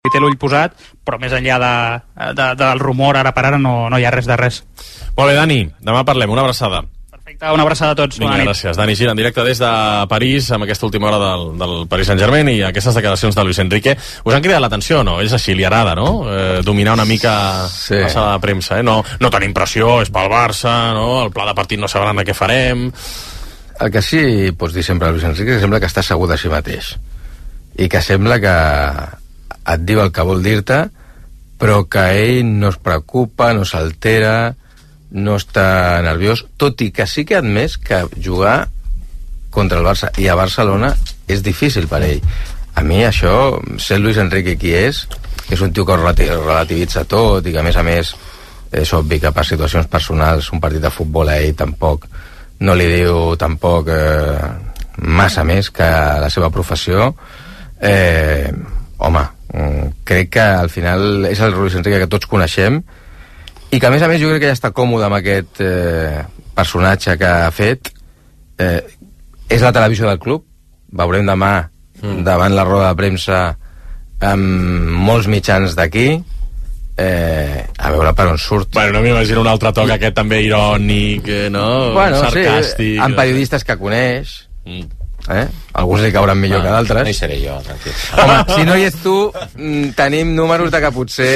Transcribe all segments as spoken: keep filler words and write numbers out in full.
hi té l'ull posat, però més enllà de, de, del rumor ara per ara no, no hi ha res de res. Molt bé, Dani, demà parlem, una abraçada. Perfecte, una abraçada a tots. Vinga, gràcies. Dani Gira, en directe des de París, amb aquesta última hora del, del Paris Saint-Germain i aquestes declaracions de Luis Enrique. Us han cridat l'atenció, no? És així, li agrada, no? Eh, dominar una mica sí. la sala de premsa, eh? No, no tenim pressió, és pel Barça, no? El pla de partit no sabran de què farem. El que sí pots dir sempre a Luis Enrique que sembla que està segur de si mateix i que sembla que et diu el que vol dir-te, però que ell no es preocupa, no s'altera, no està nerviós, tot i que sí que ha admès que jugar contra el Barça i a Barcelona és difícil per ell. A mi això, ser Luis Enrique qui és, que és un tio que relativitza tot i que a més a més és obvi que per situacions personals un partit de futbol a ell tampoc no li diu tampoc eh, massa més que la seva professió. Eh, home, crec que al final és el Luis Enrique que tots coneixem i que a més a més jo crec que ja està còmode amb aquest eh, personatge que ha fet. Eh, és la televisió del club, veurem demà mm. davant la roda de premsa amb molts mitjans d'aquí. Eh, a veure per on surt. Bueno, no m'imagino un altre toc, aquest també irònic, no? Bueno, sarcàstic. Sí, amb periodistes que coneix. Mm. Eh? Alguns li cauran millor ah, que d'altres. No hi seré jo, tranquil. Home, si no hi ets tu, tenim números de que potser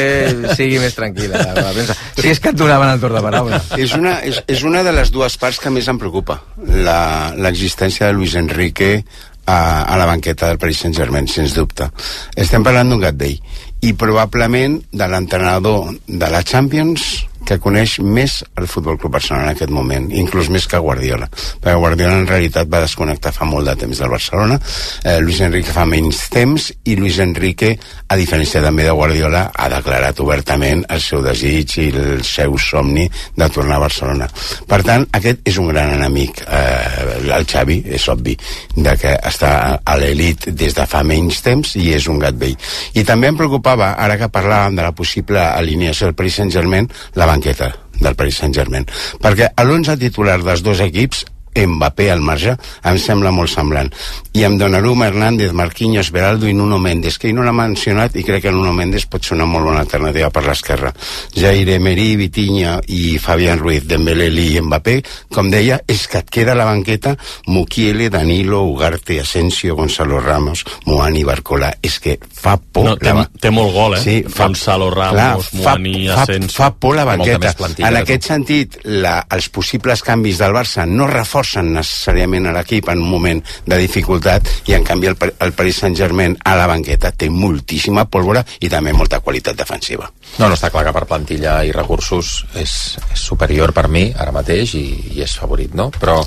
sigui més tranquil·la la premsa. Si és que et donaven el torn de paraula. És una, és, és una de les dues parts que més em preocupa, l'existència de Luis Enrique a, a la banqueta del Paris Saint-Germain, sens dubte. Estem parlant d'un gat vell i probablement de l'entrenador de la Champions que coneix més el Futbol Club Barcelona en aquest moment, inclús més que Guardiola, perquè Guardiola en realitat va desconnectar fa molt de temps del Barcelona. eh, Luis Enrique fa menys temps i Luis Enrique, a diferència també de Guardiola, ha declarat obertament el seu desig i el seu somni de tornar a Barcelona. Per tant, aquest és un gran enemic. eh, el Xavi és obvi de que està a l'elit des de fa menys temps i és un gat vell. I també em preocupava, ara que parlàvem de la possible alineació del Paris Saint-Germain, la banqueta del Paris Saint-Germain, perquè a l'onze titular dels dos equips Mbappé al marge em sembla molt semblant, i amb Donnarumma, Hernández, Marquinhos, Beraldo i Nuno Mendes, que ell no l'ha mencionat i crec que Nuno Mendes pot ser una molt bona alternativa per l'esquerra. Jair Emery, Vitinha i Fabián Ruiz, Dembélé i Mbappé, com deia, és que et queda a la banqueta Mukiele, Danilo, Ugarte, Asensio, Gonzalo Ramos, Muani, Barcola. És que fa por. No, té, la... té molt gol, eh? Sí, fa... Gonzalo Ramos, clar, Muani, fa, Asensio. Fa, fa por la banqueta. Plantilla, en aquest tu. sentit, la, els possibles canvis del Barça no reforcen necessàriament a l'equip en un moment de dificultat, i en canvi el, el Paris Saint-Germain a la banqueta té moltíssima pólvora i també molta qualitat defensiva. No, no, està clar que per plantilla i recursos és, és superior per mi ara mateix i, i és favorit, no? Però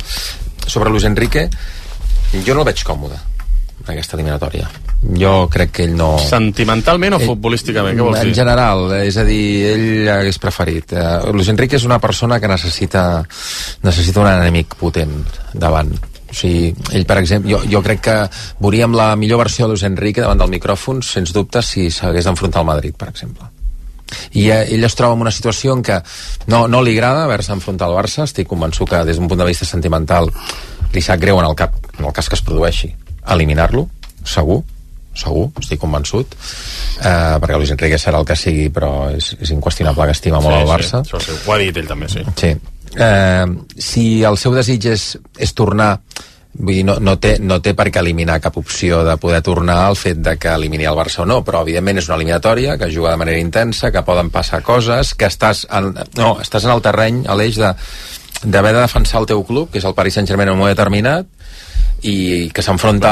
sobre Luis Enrique jo no el veig còmode en aquesta eliminatòria. Jo crec que ell no... Sentimentalment o ell, futbolísticament? Què vols dir? En general, és a dir, ell hagués preferit. Uh, Luis Enrique és una persona que necessita necessita un enemic potent davant. O sigui, ell, per exemple, jo, jo crec que veuríem la millor versió de Luis Enrique davant del micròfon, sens dubte, si s'hagués d'enfrontar al Madrid, per exemple. I uh, ell es troba en una situació en què no, no li agrada haver-se enfrontat al Barça. Estic convençut que des d'un punt de vista sentimental li sap greu en el, cap, en el cas que es produeixi eliminar-lo, segur segur, estic convençut, eh, perquè Luis Enrique serà el que sigui, però és, és inqüestionable que estima molt sí, el Barça. Sí, sí, ho ha dit ell també, sí. Sí. Eh, si el seu desig és, és tornar, vull dir, no, no, té, no té per què eliminar cap opció de poder tornar al fet de que elimini el Barça o no, però evidentment és una eliminatòria que juga de manera intensa, que poden passar coses, que estàs en, no, estàs en el terreny, a l'eix de d'haver de defensar el teu club, que és el Paris Saint-Germain en un moment determinat, i que s'enfronta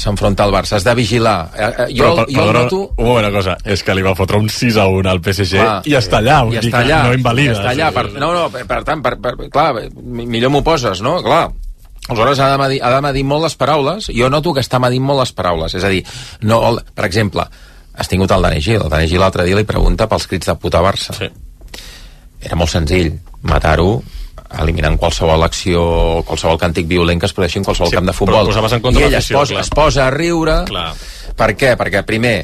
s'enfronta al Barça. Has de vigilar. Jo, però, jo però, noto... Una cosa, és que li va fotre un sis a un al P S G clar, i està allà, i està allà, no invalida. I està allà, per, no, no, per, per tant, per, per, clar, millor m'ho poses, no? Clar, aleshores ha de, medir, ha de medir molt les paraules. Jo noto que està medint molt les paraules, és a dir, no, per exemple, has tingut el Dani Gil, el Dani Gil l'altre dia li pregunta pels crits de puta Barça. Sí. Era molt senzill, matar-ho eliminant qualsevol acció, qualsevol càntic violent que es produeixi en qualsevol sí, camp de futbol. I ell es posa, es posa a riure. Clar. Per què? Perquè primer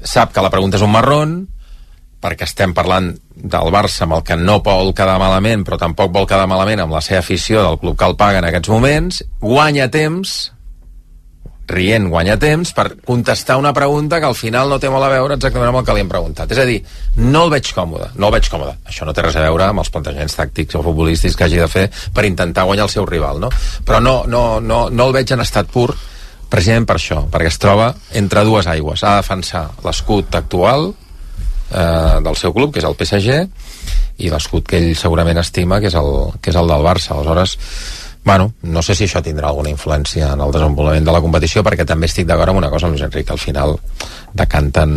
sap que la pregunta és un marrón, perquè estem parlant del Barça amb el que no vol quedar malament, però tampoc vol quedar malament amb la seva afició del club que el paga en aquests moments, guanya temps, rient guanya temps per contestar una pregunta que al final no té molt a veure exactament amb el que li hem preguntat. És a dir, no el veig còmode, no el veig còmode. Això no té res a veure amb els plantejaments tàctics o futbolístics que hagi de fer per intentar guanyar el seu rival, no? Però no, no, no, no el veig en estat pur, precisament per això, perquè es troba entre dues aigües. Ha de defensar l'escut actual eh, del seu club, que és el P S G, i l'escut que ell segurament estima, que és el, que és el del Barça. Aleshores, bueno, no sé si això tindrà alguna influència en el desenvolupament de la competició, perquè també estic d'acord amb una cosa amb Luis Enrique. Al final decanten,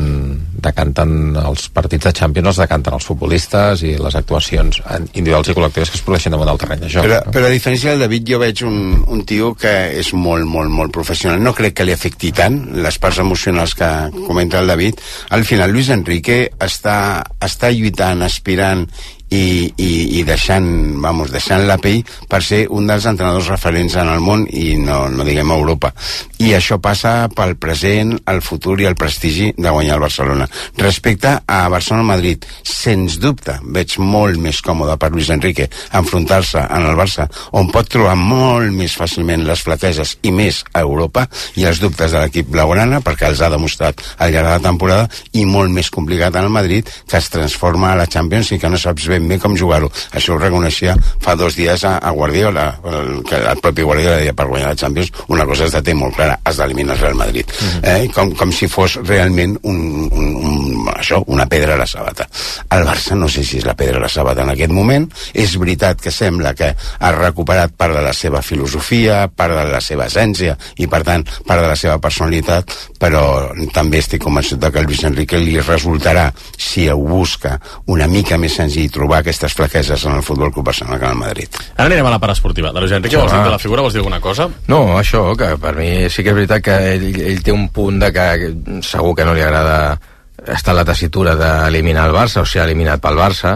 decanten els partits de Champions, els decanten els futbolistes i les actuacions individuals i col·lectives que es produeixen damunt del terreny de joc. Però, no? però a diferència del David, jo veig un, un tio que és molt, molt, molt professional. No crec que li afecti tant les parts emocionals que comenta el David. Al final, Luis Enrique està, està lluitant, aspirant i, i, i deixant, vamos, deixant la pell per ser un dels entrenadors referents en el món i no, no diguem Europa. I això passa pel present, el futur i el prestigi de guanyar el Barcelona. Respecte a Barcelona-Madrid, sens dubte veig molt més còmode per Luis Enrique enfrontar-se en el Barça, on pot trobar molt més fàcilment les flaqueses i més a Europa i els dubtes de l'equip blaugrana, perquè els ha demostrat al llarg de la temporada, i molt més complicat en el Madrid, que es transforma a la Champions i que no saps ben bé com jugar-ho. Això ho reconeixia fa dos dies a, a Guardiola, el, que el propi Guardiola deia per guanyar la Champions una cosa es de té molt clara, has d'eliminar el Real Madrid. Uh-huh. eh? com, com si fos realment un, un, un, això, una pedra a la sabata. El Barça no sé si és la pedra a la sabata en aquest moment. És veritat que sembla que ha recuperat part de la seva filosofia, part de la seva essència i per tant part de la seva personalitat, però també estic convençut que el Luis Enrique li resultarà, si ho busca una mica més senzill, trobar aquestes flaqueses en el Futbol Club Barcelona que en el Madrid. Ara anirem a la part esportiva. De Luis Enrique, vols dir de la figura, vols dir alguna cosa? No, això, que per mi sí que és veritat que ell, ell té un punt de que segur que no li agrada estar a la tessitura d'eliminar el Barça, o sigui, eliminat pel Barça,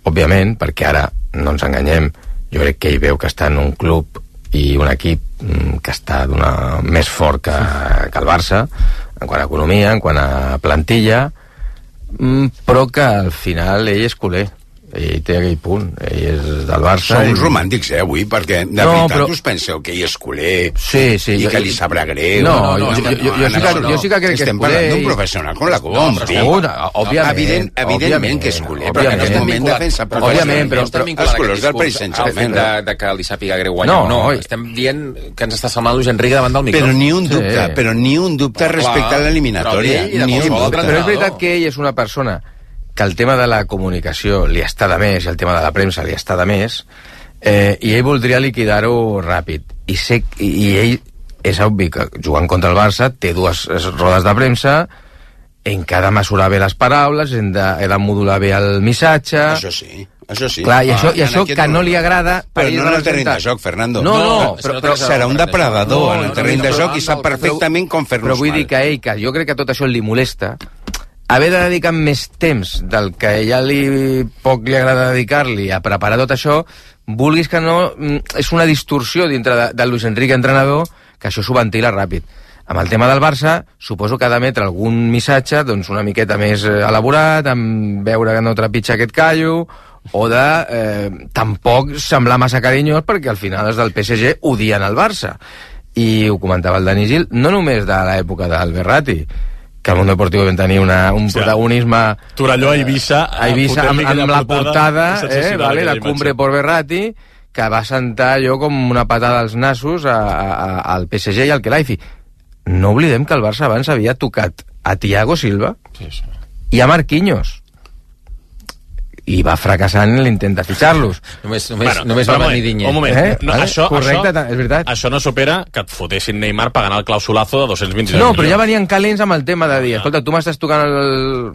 òbviament, perquè ara, no ens enganyem, jo crec que ell veu que està en un club i un equip que està d'una més fort que, que el Barça, en quant a economia, en quant a plantilla, però que al final ell és culer, ell té aquell punt, ell és del Barça. Som i... romàntics, eh, avui, perquè de no, veritat però... us penseu que ell és culer sí, sí, i jo, que li sabrà greu. No, no, no, jo, jo, jo, jo, sí que, jo sí que crec que és estem culer. Estem parlant d'un professional com la Colom, no, no, no, òbviament, evident, evidentment que és culer, però en aquest moment defensa òbviament, però, però els colors del Paris Saint-Germain de, de que li sàpiga greu guanyar. No, no, estem dient que ens està semblant Luis Enrique davant del micròfon. Però ni un dubte, però ni un dubte respecte a l'eliminatòria. Ni un dubte. Però és veritat que ell és una persona que el tema de la comunicació li està de més i el tema de la premsa li està de més, eh, i ell voldria liquidar-ho ràpid. I, sé, i, I ell, és obvi que jugant contra el Barça té dues rodes de premsa en què ha de mesurar bé les paraules, hem de, he de modular bé el missatge... Això sí. Això sí. Clar, i això, ah, i això que no li agrada... Però no en el terreny de joc, Fernando. No, no, no però, però serà un depredador no, en el terreny de joc i sap perfectament com fer-nos mal. Però vull dir que ell, que jo crec que tot això li molesta, haver de dedicar més temps del que ja li poc li agrada dedicar-li a preparar tot això, vulguis que no, és una distorsió dintre de, de Luis Enrique entrenador, que això s'ho ventila ràpid. Amb el tema del Barça, suposo que ha d'emetre algun missatge doncs una miqueta més elaborat, amb veure que no trepitja aquest callo, o de eh, tampoc semblar massa carinyós, perquè al final els del P S G odien el Barça. I ho comentava el Dani Gil, no només de l'època del Berratti, que el Mundo Deportivo vam tenir una, un sí, protagonisme... Torelló a Eivissa... A Eivissa, amb, amb la portada, eh, vale, la Cumbre por Berratti, que va sentar allò com una patada als nassos a, a, al P S G i al Khelaifi. No oblidem que el Barça abans havia tocat a Thiago Silva sí, sí. i a Marquinhos. I va fracassar en l'intent de fitxar-los. Només, només, bueno, només va venir Digne. Un moment, eh? no, vale? això, Correcte, això, és veritat. Això no supera que et fotessin Neymar pagant el clausulazo de dos-cents vint-i-dos No, milions. però ja venien calents amb el tema de dir, escolta, tu m'estàs tocant el...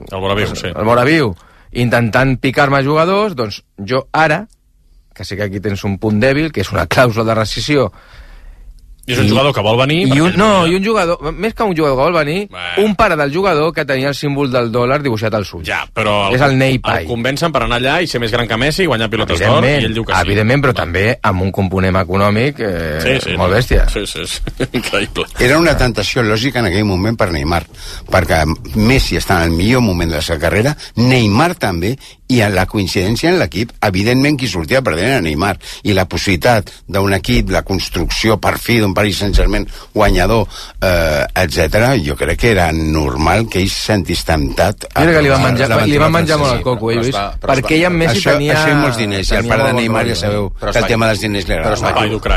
El Moraviu, sí. El Moraviu, intentant picar-me jugadors, doncs jo ara, que sé que aquí tens un punt dèbil, que és una clàusula de rescissió, I és un jugador que vol venir... I un, no, i un jugador, més que un jugador que vol venir, bueno. un pare del jugador que tenia el símbol del dòlar dibuixat al sud. Ja, però el, és el Ney Pai. El convencen per anar allà i ser més gran que Messi i guanyar pilotes d'or, i ell diu que sí. Evidentment, però també amb un component econòmic eh, sí, sí, molt bèstia. Sí, sí, sí, increïble. Era una tentació lògica en aquell moment per Neymar, perquè Messi està en el millor moment de la seva carrera, Neymar també, i en la coincidència en l'equip, evidentment qui sortia perdent era Neymar, i la possibilitat d'un equip, la construcció per fi d'un Paris Saint-Germain guanyador, eh, etcètera, jo crec que era normal que ell se sentís temptat. Mira que li va menjar, li va menjar molt el coco, eh, Lluís? Perquè ell amb Messi això, tenia... Això i molts diners, i el part de Neymar ja sabeu que el tema dels diners li agrada.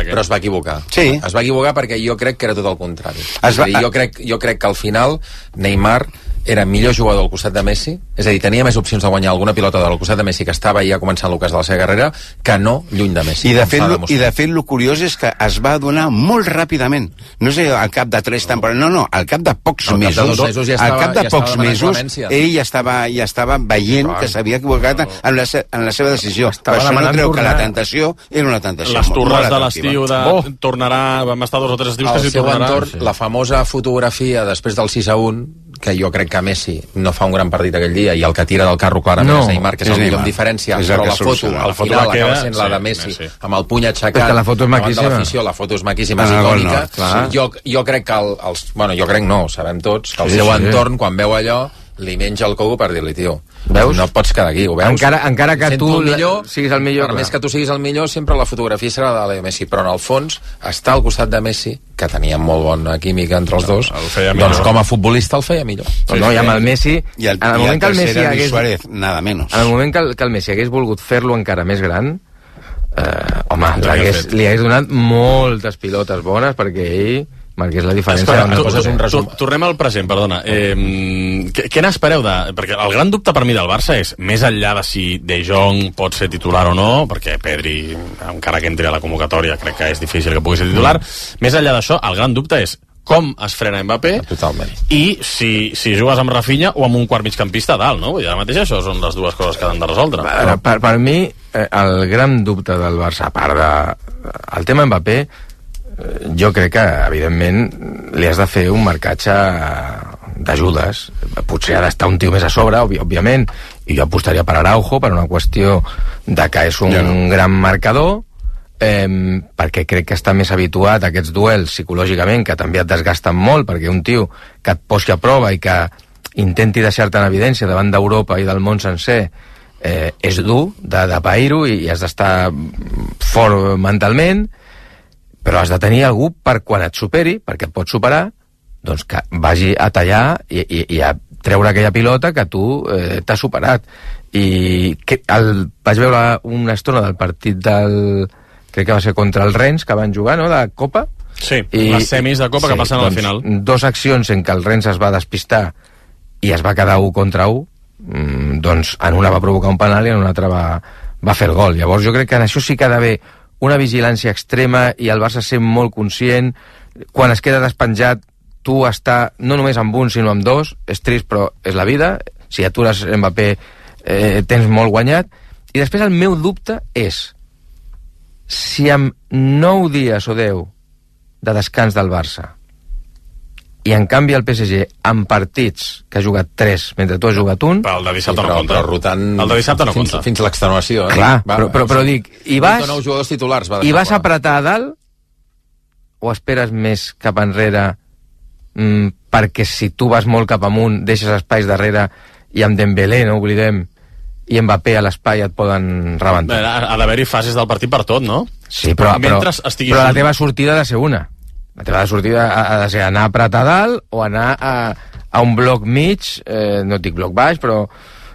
Però es va equivocar. Sí. Es va equivocar perquè jo crec que era tot el contrari. Es va... jo, crec, jo crec que al final Neymar era millor jugador al costat de Messi, és a dir, tenia més opcions de guanyar alguna pilota del costat de Messi, que estava ja començant l'ocàs de la seva carrera, que no lluny de Messi. I de, fet, I de fet, el curiós és que es va adonar molt ràpidament, no sé, al cap de tres temporades, no, no, al cap de pocs al mesos, cap de mesos ja estava, al cap de ja pocs mesos, ell ja estava, ja estava veient Clar. que s'havia equivocat en la, en la seva decisió. Estava per això no creu tornar. que la tentació era una tentació. Les torres molt de l'estiu de... Oh. tornarà, vam estar dos o tres estius al que s'hi seu tornarà. entorn, la famosa fotografia després del sis a un, que jo crec que Messi no fa un gran partit aquell dia, i el que tira del carro clarament No, és Neymar, que és, és el millor Neymar. amb diferència, És el però que la foto soluciona. al La foto final que queda, acaba sent la de sí, Messi, Messi. amb el puny aixecat, És que la foto és davant maquíssima. de l'afició, la foto és maquíssima, és Ah, icònica. bueno, jo, jo crec que el, els... Bueno, jo crec no, sabem tots, que el Sí, seu sí. entorn, quan veu allò, li menja el coco per dir-li, tio, Veus? no pots quedar aquí, ho veus? Encara, encara que Sento tu el millor, siguis el millor, per clar. més que tu siguis el millor, sempre la fotografia serà de Leo Messi, però en el fons està al costat de Messi, que tenia molt bona química entre els dos, El feia doncs millor. com a futbolista el feia millor. Sí, no, i amb el Messi, I el, en el i moment el que el tercer Messi era Luis hagués, Suárez, nada menos. en el moment que el, que el Messi hagués volgut fer-lo encara més gran, eh, home, Ja li havia hagués, fet. li hagués donat moltes pilotes bones perquè ell marqués la diferència. Escolta, Una tu, cosa és un tu, resum. tornem al present, perdona. Eh, què, què n'espereu de... Perquè el gran dubte per mi del Barça és, més enllà de si De Jong pot ser titular o no, perquè Pedri, encara que entri a la convocatòria, crec que és difícil que pugui ser titular, mm. més enllà d'això, el gran dubte és com es frena Mbappé Totalment. i si, si jugues amb Rafinha o amb un quart migcampista a dalt, no? Vull dir, ara mateix això són les dues coses que han de resoldre. Per, per, per mi, eh, el gran dubte del Barça, a part de... El tema Mbappé, eh, jo crec que, evidentment, li has de fer un marcatge d'ajudes. Potser ha d'estar un tio més a sobre, òbvi, òbviament, i jo apostaria per Araujo, per una qüestió de que és un Ja no. gran marcador, eh, perquè crec que està més habituat a aquests duels psicològicament, que també et desgasten molt, perquè un tio que et posi a prova i que intenti deixar-te en evidència davant d'Europa i del món sencer, eh, és dur de, de pair-ho i, i has d'estar fort mentalment, però has de tenir algú per quan et superi, perquè et pot superar, doncs que vagi a tallar i, i, i a treure aquella pilota que tu eh, t'has superat. I que el, vaig veure una estona del partit del... crec que va ser contra el Rennes, que van jugar, no?, de Copa. Sí, les semis de Copa sí, que passen a la doncs, final. Dos accions en què el Rennes es va despistar i es va quedar un contra un, mm, doncs en una va provocar un penal i en una altra va, va fer el gol. Llavors jo crec que en això sí que ha d'haver una vigilància extrema i el Barça ser molt conscient. Quan es queda despenjat, tu està no només amb un sinó amb dos, és trist però és la vida. Si atures Mbappé eh, tens molt guanyat. I després el meu dubte és si amb nou dies o deu de descans del Barça i en canvi el P S G amb partits que ha jugat tres mentre tu has jugat un, Però el de dissabte Sí, no però, compta. però rotant El de dissabte no fins, compta. fins l'extenuació, eh? clar, però, però, però dic, i vas, nou jugadors titulars va i deixar vas a fora. apretar a dalt o esperes més cap enrere mm, perquè si tu vas molt cap amunt deixes espais darrere i amb Dembélé, no oblidem, i Mbappé a l'espai et poden rebentar. Bé, ha, ha d'haver-hi fases del partit per tot, no? Sí, però, però, Mentre estigui però la junt. teva sortida ha de ser una. La teva sortida ha, ha de ser anar a apretar a dalt o anar a, a un bloc mig, eh, no et dic bloc baix, però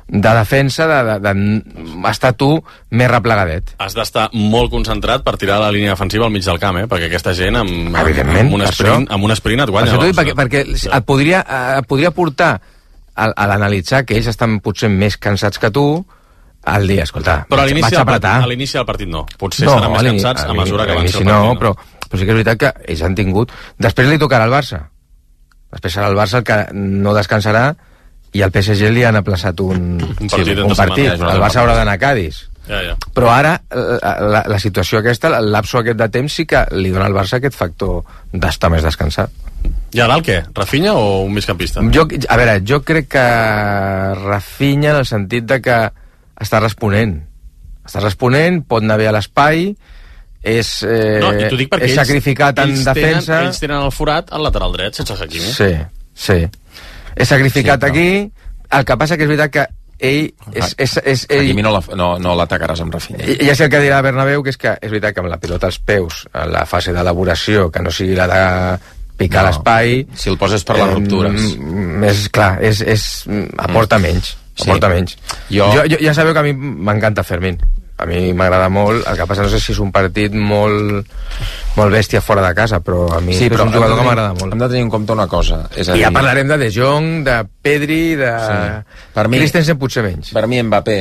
de defensa, de, de, de estar tu més replegadet. Has d'estar molt concentrat per tirar la línia defensiva al mig del camp, eh? Perquè aquesta gent amb, Evidentment, amb, un, per sprint, això. amb un sprint et Per guanya. això t'ho dic, doncs, perquè, perquè et podria, et podria portar a, a l'analitzar que ells estan potser més cansats que tu al dia, escolta, Però a vaig, l'inici vaig del, apretar. a l'inici del partit no. Potser seran més a l'ini- cansats a l'ini- mesura que a avanci l'inici el no, partit. però, però sí que és veritat que ells han tingut... Després li tocarà al Barça. Després serà el Barça el que no descansarà i al P S G li han aplaçat un, Un partit sí, entre un partit. setmana, El Barça haurà d'anar a Cadis. Ja, ja. Però ara la, la, la situació aquesta, el lapso aquest de temps sí que li dona al Barça aquest factor d'estar més descansat. I a dalt què? Rafinha o un migcampista? Jo, a veure, jo crec que Rafinha en el sentit de que està responent. Està responent, pot anar bé a l'espai, és, eh, No, i t'ho dic perquè és ells, sacrificat en ells defensa. Tenen, ells tenen el forat al lateral dret, sense Hakimi. Sí, sí. És sacrificat Sí, però- aquí. El que passa que és veritat que ell... És, és, és, ell... Hakimi no, la, no, no l'atacaràs amb Rafinha. Ja sé el que dirà Bernabéu, que és que és veritat que amb la pilota als peus, en la fase d'elaboració, que no sigui la de picar no, l'espai... Si el poses per les eh, ruptures. És clar, és, és, aporta menys. Aporta sí. menys. Jo... Jo, jo, ja sabeu que a mi m'encanta Fermín. A mi m'agrada molt, el que passa no sé si és un partit molt, molt bèstia fora de casa, però a mi sí, però és un jugador tenir, que m'agrada molt. Hem de tenir en compte una cosa. És a I dir... ja parlarem de De Jong, de Pedri, de sí. per mi, Christensen potser menys. Per mi Mbappé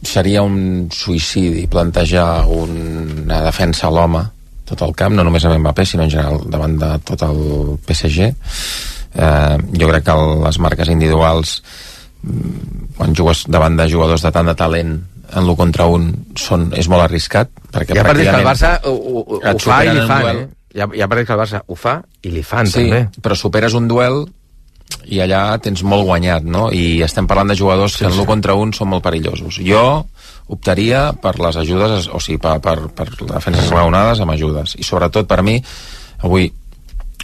seria un suïcidi plantejar una defensa a l'home tot el camp, no només amb Mbappé, sinó en general davant de tot el P S G. Eh, jo crec que les marques individuals, quan jugues davant de jugadors de tant de talent, en l'u contra un són, és molt arriscat, perquè hi ha partits que el Barça ho, ho, ho fa i li fan, eh? Hi ha, hi ha partits que el Barça ho fa i li fan, sí, també. Però superes un duel i allà tens molt guanyat, no? I estem parlant de jugadors sí, que en l'u sí. contra un són molt perillosos. Jo optaria per les ajudes, o sigui, per, per, per defenses raonades amb ajudes. I sobretot per mi, avui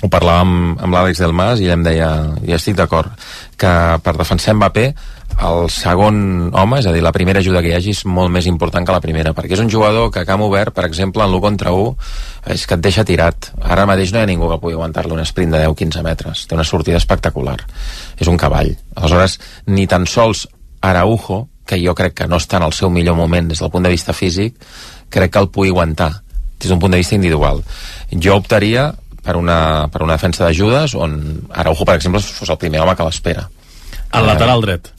ho parlàvem amb, amb l'Àlex Delmas i ell em deia, i estic d'acord, que per defensar Mbappé el segon home, és a dir, la primera ajuda que hi hagi és molt més important que la primera, perquè és un jugador que a camp obert, per exemple, en l'u contra u és que et deixa tirat. Ara mateix no hi ha ningú que pugui aguantar-li un sprint de deu quinze metres. Té una sortida espectacular. És un cavall. Aleshores, ni tan sols Araujo, que jo crec que no està en el seu millor moment des del punt de vista físic, crec que el pugui aguantar des d'un punt de vista individual. Jo optaria per una, per una defensa d'ajudes on Araujo, per exemple, fos el primer home que l'espera. Al lateral dret.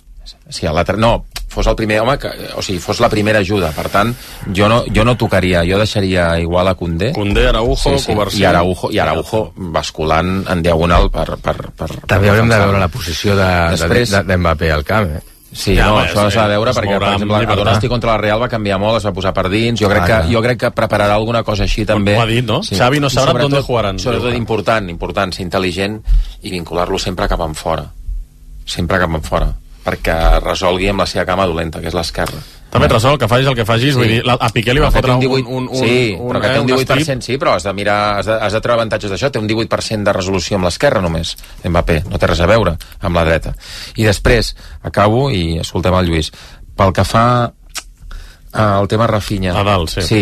Sí, al lateral, no, fos el primer home que, o sigui, fos la primera ajuda. Per tant, jo no, jo no tocaria, jo deixaria igual a Koundé. Koundé, Araujo, sí, sí. Covarsí. I Araujo, i Araujo basculant en diagonal per... per, per També haurem de veure la posició de, Després, de, de, d'Mbappé al camp, eh? Sí, ja, no, això s'ha de veure perquè, per exemple, a Donasti contra la Real va canviar molt, es va posar per dins. Jo crec, ah, que, jo crec que prepararà alguna cosa així també. Ho ha dit, no? Sí. Xavi no sabrà d'on jugaran. Sobretot important, important, ser intel·ligent i vincular-lo sempre cap enfora. Sempre cap enfora. Perquè resolgui amb la seva cama dolenta, que és l'esquerra. També et resol, que facis el que facis, sí. Vull dir, a Piqué li va fotre un, un, un, un... Sí, un, però que té un divuit per cent, sí, però has de mirar, has de, has de treure avantatges d'això, té un divuit per cent de resolució amb l'esquerra només, Mbappé, no té res a veure amb la dreta. I després, acabo, i escoltem el Lluís, pel que fa al tema Rafinha... A dalt, sí. Sí,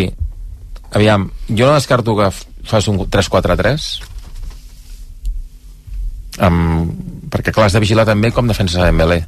aviam, jo no descarto que fas un tres quatre tres, amb... perquè clar, has de vigilar també com defenses a Dembélé.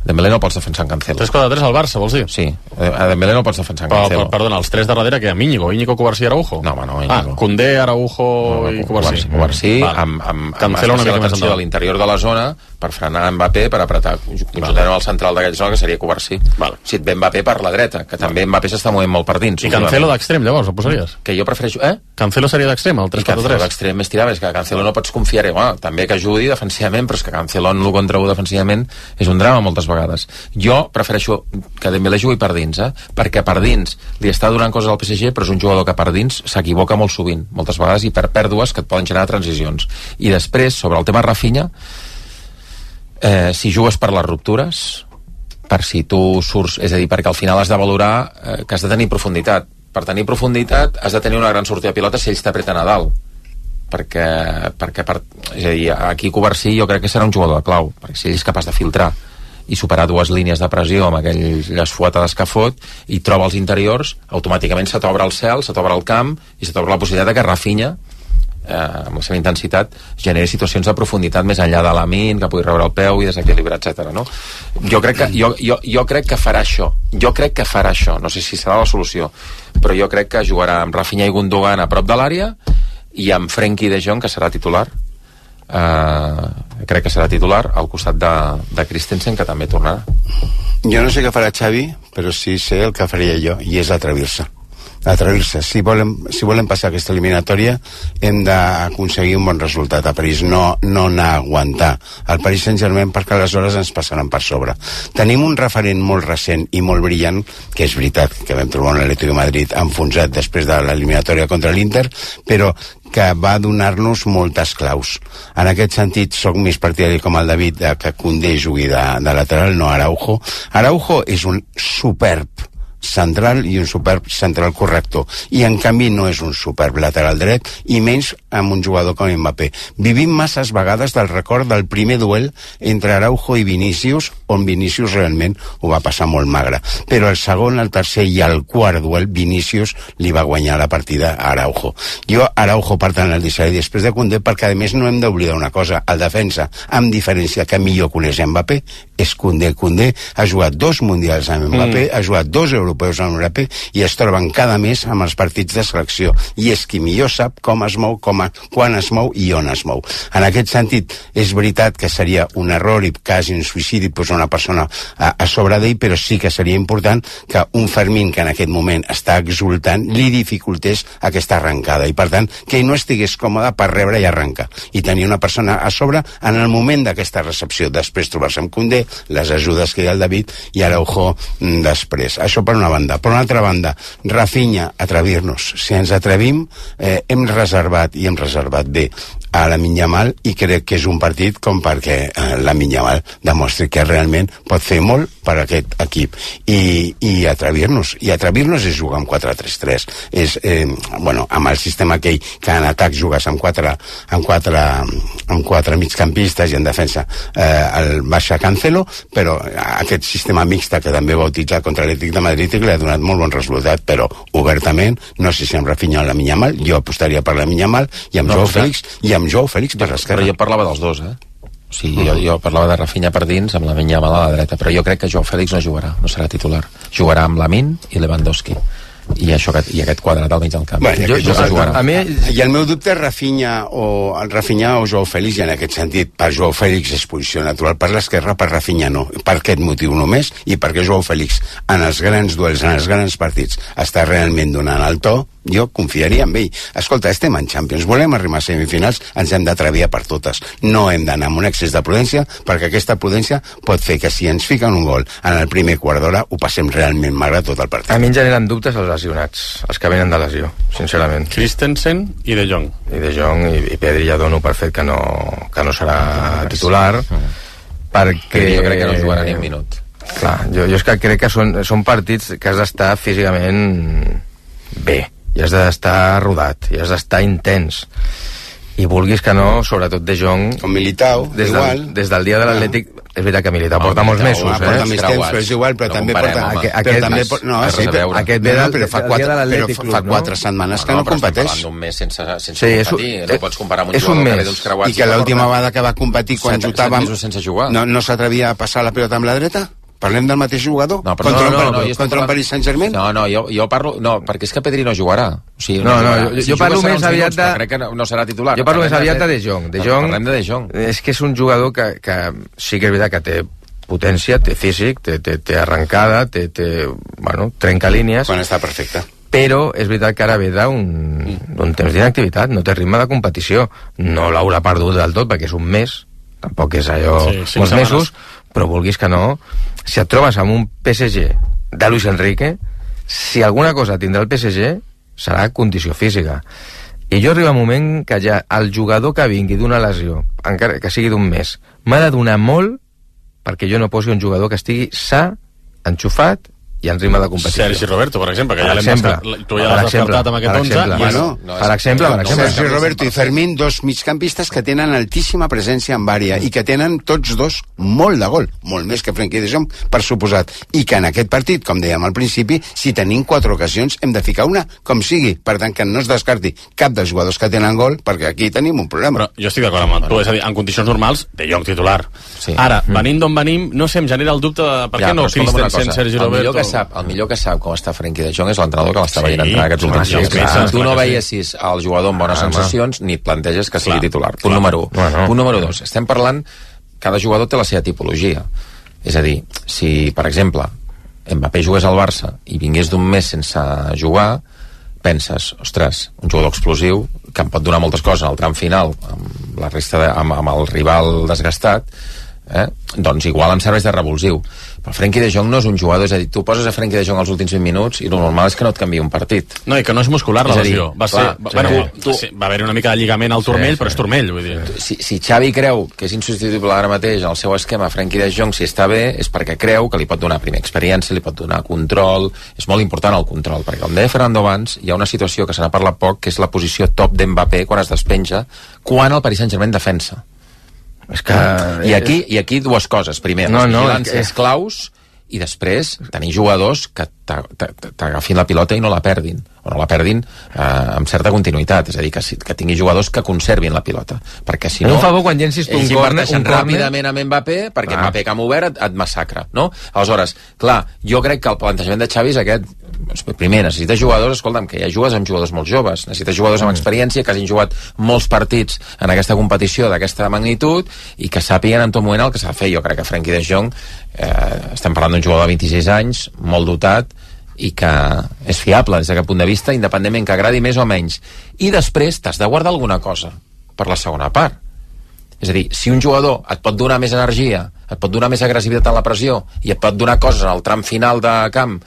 Dembélé no pots defensar en Cancelo. tres quatre tres al Barça, vols dir? Sí, a Dembélé no pots defensar en Cancelo. Però, perdona, els tres de darrere que hi ha Íñigo, Íñigo, Covarsí i Araujo? No, home, no, Íñigo. Ah, Koundé, Araujo no, i Covarsí. Covarsí, amb, amb, Cancelo amb una mica més endavant. De l'interior de la zona per frenar Mbappé, per apretar conjuntament al central d'aquella zona, que seria Covarsí. Vale. Si et ve Mbappé per la dreta, que també Mbappé s'està movent molt per dins. I Cancelo d'extrem, llavors, el posaries? Que jo prefereixo... Eh? Cancelo seria d'extrem, el tres quatre tres? Cancelo d'extrem més tirava, és que Cancelo no pots confiar-hi. Bueno, també que ajudi defensivament, però és que Cancelo en l'u contra u defensivament és un drama moltes vegades. Jo prefereixo que Dembélé jugui per dins, eh? Perquè per dins li està donant coses al P S G, però és un jugador que per dins s'equivoca molt sovint, moltes vegades, i per pèrdues que et poden generar transicions. I després, sobre el tema Rafinha, eh, si jugues per les ruptures, per si tu surts, és a dir, perquè al final has de valorar eh, que has de tenir profunditat. Per tenir profunditat has de tenir una gran sortida de pilota si ells t'apreten a dalt. Perquè, perquè per, és a dir, aquí Covarsí jo crec que serà un jugador de clau, perquè si ell és capaç de filtrar i superar dues línies de pressió amb aquelles fuetades que fot i troba els interiors, automàticament se t'obre el cel, se t'obre el camp i se t'obre la possibilitat de que Rafinha, eh, amb la seva intensitat, generi situacions de profunditat més enllà de l'amint, que pugui rebre el peu i desequilibrar, etcètera. No? Jo, crec que, jo, jo, jo crec que farà això. Jo crec que farà això. No sé si serà la solució, però jo crec que jugarà amb Rafinha i Gundogan a prop de l'àrea i amb Frenkie de Jong, que serà titular. Uh, crec que serà titular al costat de, de Christensen, que també tornarà. Jo no sé què farà Xavi, però sí sé el que faria jo, i és atrevir-se atrevir-se, si volem, si volem passar aquesta eliminatòria hem d'aconseguir un bon resultat a París, no, no anar a aguantar el Paris Saint-Germain, perquè aleshores ens passaran per sobre. Tenim un referent molt recent i molt brillant, que és veritat que vam trobar un Atlético de Madrid enfonsat després de l'eliminatòria contra l'Inter, però que va donar-nos moltes claus. En aquest sentit, soc més partidari com el David de que Koundé jugui de, de lateral, no Araujo. Araujo és un superb central i un superb central corrector, i en canvi no és un superb lateral dret, i menys amb un jugador com Mbappé. Vivim masses vegades del record del primer duel entre Araujo i Vinícius on Vinícius realment ho va passar molt magre. Però el segon, el tercer i el quart duel, Vinícius li va guanyar la partida a Araujo. Jo, Araujo, per tant, el deixaré després de Koundé, perquè a més no hem d'oblidar una cosa, el defensa, amb diferència que millor coneix Mbappé, és Koundé. Koundé ha jugat dos mundials amb Mbappé, mm. ha jugat dos europeus amb Mbappé i es troben cada mes amb els partits de selecció. I és qui millor sap com es mou, com a, quan es mou i on es mou. En aquest sentit, és veritat que seria un error i quasi un suïcidi posar una persona a, a sobre d'ell, però sí que seria important que un Fermín que en aquest moment està exultant li dificultés aquesta arrencada i per tant que ell no estigués còmode per rebre i arrencar i tenir una persona a sobre en el moment d'aquesta recepció, després trobar-se amb Koundé, les ajudes que hi ha el David i Araujo mm, després. Això per una banda. Per una altra banda, Rafinha, atrevir-nos. Si ens atrevim, eh, hem reservat i hem reservat bé a Lamine Yamal i crec que és un partit com perquè eh, Lamine Yamal demostri que realment pot fer molt per aquest equip i, i atrevir-nos i atrevir-nos és jugar amb quatre tres tres és, eh, bueno, amb el sistema aquell que en atac jugues amb quatre amb quatre, amb quatre migcampistes i en defensa eh, el baixa Cancelo, però aquest sistema mixta que també va utilitzar contra l'Atlètic de Madrid i que li ha donat molt bon resultat, però obertament no sé si amb Rafinha o Lamine Yamal, jo apostaria per Lamine Yamal i amb no, Joao Félix i amb Joao Félix per l'esquerra. Però jo parlava dels dos, eh? O sigui, jo, jo parlava de Rafinha per dins amb Lamine Yamal a la dreta, però jo crec que Joao Félix no jugarà, no serà titular. Jugarà amb Lamine i Lewandowski. I, això, i aquest quadrat al mig del camp. Bueno, jo, jo, jo, a, a mi, I el meu dubte és Rafinha o, el Rafinha o Joao Félix, i en aquest sentit, per Joao Félix és posició natural per l'esquerra, per Rafinha no. Per aquest motiu només, i perquè Joao Félix en els grans duels, en els grans partits, està realment donant el to, jo confiaria en ell. Escolta, estem en Champions, volem arribar a semifinals, ens hem d'atrevir per totes. No hem d'anar amb un excés de prudència, perquè aquesta prudència pot fer que si ens fiquen un gol en el primer quart d'hora, ho passem realment magre tot el partit. A mi em generen dubtes els lesionats, els que venen de lesió, sincerament. Christensen i De Jong. I De Jong i, i Pedri ja dono per fet que no, que no serà titular, perquè... Jo crec que no jugarà ni un minut. Clar, jo, jo és que crec que són, són partits que has d'estar físicament bé, i has d'estar rodat, i has d'estar intens, i vulguis que no, sobretot De Jong, com Militao, des igual del, des del dia de l'Atlètic, és veritat que Militao porta molts mesos, eh? Porta més temps, però és igual, però també porta... Aquest, també, no, sí, aquest ve del, però fa quatre, però fa quatre setmanes que no competeix. Un mes sense, sense sí, competir, és, no pots comparar amb un jugador que ve d'uns creuats. I que l'última vegada que va competir, quan jutàvem, no, no s'atrevia a passar la pilota amb la dreta? Parlem del mateix jugador? No, però contra no, no, un, no, no, contra un Paris Saint-Germain? No, no, jo, jo parlo... No, perquè és que Pedri no jugarà. O sigui, no, no, no jo, si jo parlo més aviat de... Crec que no, no serà titular. Jo parlo més aviat de De Jong. De Jong, parlem de De Jong. És que és un jugador que, que sí que és veritat que té potència, té físic, té, té, té arrencada, té, té, bueno, trenca línies. Quan està perfecte. Però és veritat que ara ve d'un temps d'inactivitat, no té ritme de competició. No l'haurà perdut del tot, perquè és un mes, tampoc és allò sí, molts mesos, però vulguis que no, si et trobes amb un P S G de Luis Enrique, si alguna cosa tindrà el P S G serà condició física. I jo arriba un moment que ja el jugador que vingui d'una lesió, encara que sigui d'un mes, m'ha de donar molt perquè jo no posi un jugador que estigui sa, enxufat i en ritme de competició. Sergi Roberto, per exemple, que ja l'hem descartat, tu ja l'has descartat amb aquest onze. Bueno, no, per exemple, per exemple. Sergi Roberto i Fermín, dos migcampistes que tenen altíssima presència en àrea i que tenen tots dos molt de gol, molt més que Frenkie de Jong, per suposat. I que en aquest partit, com dèiem al principi, si tenim quatre ocasions, hem de ficar una com sigui. Per tant, que no es descarti cap dels jugadors que tenen gol, perquè aquí tenim un problema. Però jo estic d'acord amb tu, és a dir, en condicions normals, De Jong titular. Sí. Ara, venint d'on venim, no sé, em genera el dubte de per què ja, no Christensen, Sergi Roberto... Sap, el millor que sap com està Frenkie de Jong és l'entrenador que l'està sí, veient entrar aquests últims dies. Sí, sí, tu no veiessis el jugador amb bones ah, sensacions ni et planteges que sigui clar, titular. Punt clar. número un. Bueno. Punt número dos. Estem parlant, cada jugador té la seva tipologia. És a dir, si, per exemple, Mbappé jugués al Barça i vingués d'un mes sense jugar, penses, ostres, un jugador explosiu que em pot donar moltes coses al tram final amb la resta de, amb, amb el rival desgastat, eh? Doncs igual em serveix de revulsiu. Però Frenkie de Jong no és un jugador, és a dir, tu poses a Frenkie de Jong els últims vint minuts i el normal és que no et canviï un partit. No, i que no és muscular la lesió. Va, clar, ser, va, bueno, tu, sí, va haver-hi una mica de lligament al turmell, sí, sí, però és turmell, vull dir. Si, si Xavi creu que és insubstituïble ara mateix en el seu esquema Frenkie de Jong, si està bé, és perquè creu que li pot donar primer experiència, li pot donar control, és molt important el control, perquè com deia Fernando abans, hi ha una situació que se n'ha parlat poc, que és la posició top d'Mbappé quan es despenja, quan el Paris Saint-Germain defensa. És que... I aquí, i aquí dues coses. Primer, no, les no, vigilàncies és... claus, i després tenir jugadors que t'agafin la pilota i no la perdin, o no la perdin eh, amb certa continuïtat, és a dir, que, que tingui jugadors que conservin la pilota, perquè si no... Un favor quan llencis tu un corner... Ells inverteixen ràpidament amb Mbappé, perquè ah. Mbappé que ha obert et, et massacra, no? Aleshores, clar, jo crec que el plantejament de Xavi és aquest. Primer, necessites jugadors, escolta'm, que ja jugues amb jugadors molt joves, necessites jugadors amb experiència, que hagin jugat molts partits en aquesta competició d'aquesta magnitud i que sàpiguen en tot moment el que s'ha de fer. Jo crec que Frenkie de Jong, eh, estem parlant d'un jugador de vint-i-sis anys, molt dotat, i que és fiable des d'aquest punt de vista, independentment que agradi més o menys. I després t'has de guardar alguna cosa per la segona part. És a dir, si un jugador et pot donar més energia, et pot donar més agressivitat en la pressió i et pot donar coses en el tram final de camp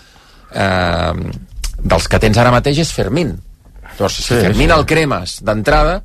eh, dels que tens ara mateix, és Fermín. Llavors, si sí, Fermín sí. el cremes d'entrada,